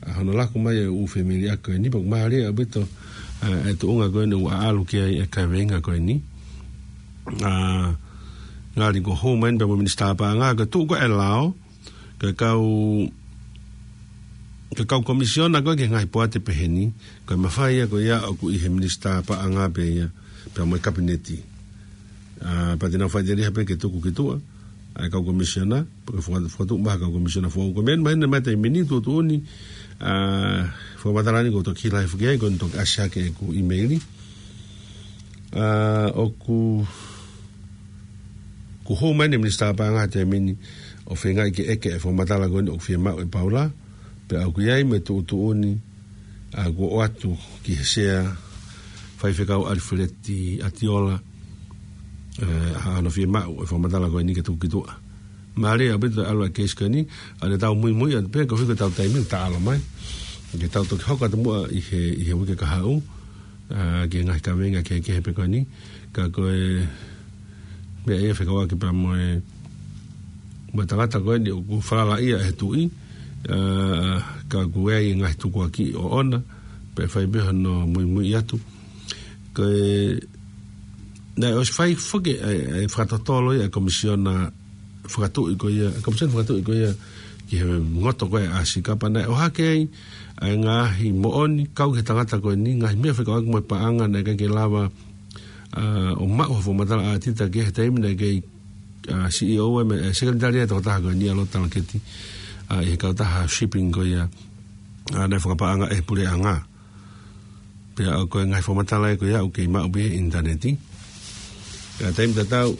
ʻa, hono laku mai ʻa e ʻū fāmili ʻa ko eni pea ʻoku mālie ʻaupito, ʻa, ʻa e tuʻunga ko eni ʻoku ʻalu ki ai ʻa e kaveinga ko eni. ʻA, ngali kuo hū mai eni pea mo e Minisitā Paʻanga, ko e tuʻu ko ē ʻa e lao, ko e kau, ko e kau komisiona ko ē ki he ngaahi poate pehē ni, ko e mafai ia ko ia ʻoku ʻi he Minisitā Paʻanga pē ia, pea mo e Kapineti. ʻA, pea te nau faʻiteliha pē ke tuku ki tuʻa ʻa e kau komisiona, pea ke faka-, fakatuʻu mai ha kau komisiona foʻou. Ko e meʻa ni mahino mai taimi ni tuʻutuʻuni, ʻa, fakamatala ni kuo toki hila hifo ki ai, kuo toki ʻasi hake ʻeku email. ʻA, ʻoku, kuo hū mai eni e Minisitā Paʻanga he taimi ni ʻo feingaʻi ke ʻeke e fakamatala ko eni ʻoku fiemaʻu ʻe Paula, pea ʻoku ʻi ai mo e tuʻutuʻuni, ʻa, kuo ʻoatu ki he Sea, Faifekau ʻAlifeleti ʻAtiola, ʻe, ʻa hono fiemaʻu e fakamatala ko eni ke tuku ki tuʻa. Mālie ʻaupito ʻalu ʻa e keisi ko eni, ʻa, te tau muimui atu pē, koeʻuhi ko ʻetau taimi ʻoku taʻalo mai. Ke tau toki hoko atu muʻa ʻi he, ʻi he uike kahaʻu, ʻa, ki he ngaahi kaveinga kehekehe pē ko eni, ka ko e meʻa ia fekauʻaki pea mo e, mo e tangata ko eni ʻoku falala ia he tuʻi, ʻa, ka ʻoku ʻi ai e ngaahi tukuakiʻi ʻoʻona, pea fai pē hono muimui atu. Ko e, naʻe ʻosi fai foki ʻa e, ʻa e fakatotolo ia ʻa e komisiona fakatuʻi ko ia, ʻa e komisiona fakatuʻi ko ia ki he ngoto ko ē ʻa Sika pea naʻe ʻohake ai ʻa e ngaahi moʻoni kau ki he tangata ko eni, ngaahi meʻa fekauʻaki mo e paʻanga naʻe ʻikai ke lava, ʻa, ʻo maʻu ha fakamatala ʻa Tita ki he taimi naʻe kei, ʻa, C E O ʻa e, ʻa e sekelitali ʻa e tokotaha ko eni ʻa Lord Talaketi, ʻa, ʻi he kautaha shipping ko ia, ʻa, naʻe fakapaʻanga ʻe he puleʻanga. Pea ʻoku ʻi ai e ngaahi fakamatala ia ko ia ʻoku kei maʻu pē ʻi he ʻinitaneti. Pea taimi tatau,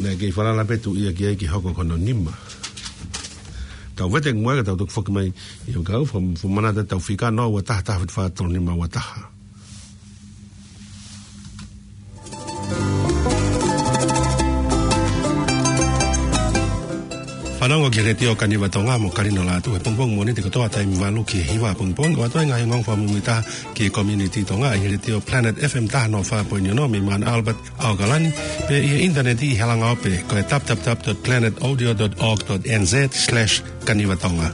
naʻe kei falala pē tuʻi ia ki ai ke hoko ko hono nima. Tau vete muʻa ka tau toki foki mai ʻi he kau fakamanatu atu ʻetau fika noa ua taha taha fitu fā tolu nima ua taha. Fanongo ki he Letiō Kaniva Tonga mo Kalino Lātū he pongipongi Mōnite kotoa taimi valu ki he hiva pongipongi, ʻo ʻoatu ai e ngaahi ongoongo fakamuimuitaha ki he community Tonga ʻi he Letiō Planet F M taha noa fā poini ono mei Mount Albert, ʻAokalani, pea ʻi he ʻinitaneti ʻi he halanga ope ko e w w w dot planet audio dot org dot n z slash kaniva tonga.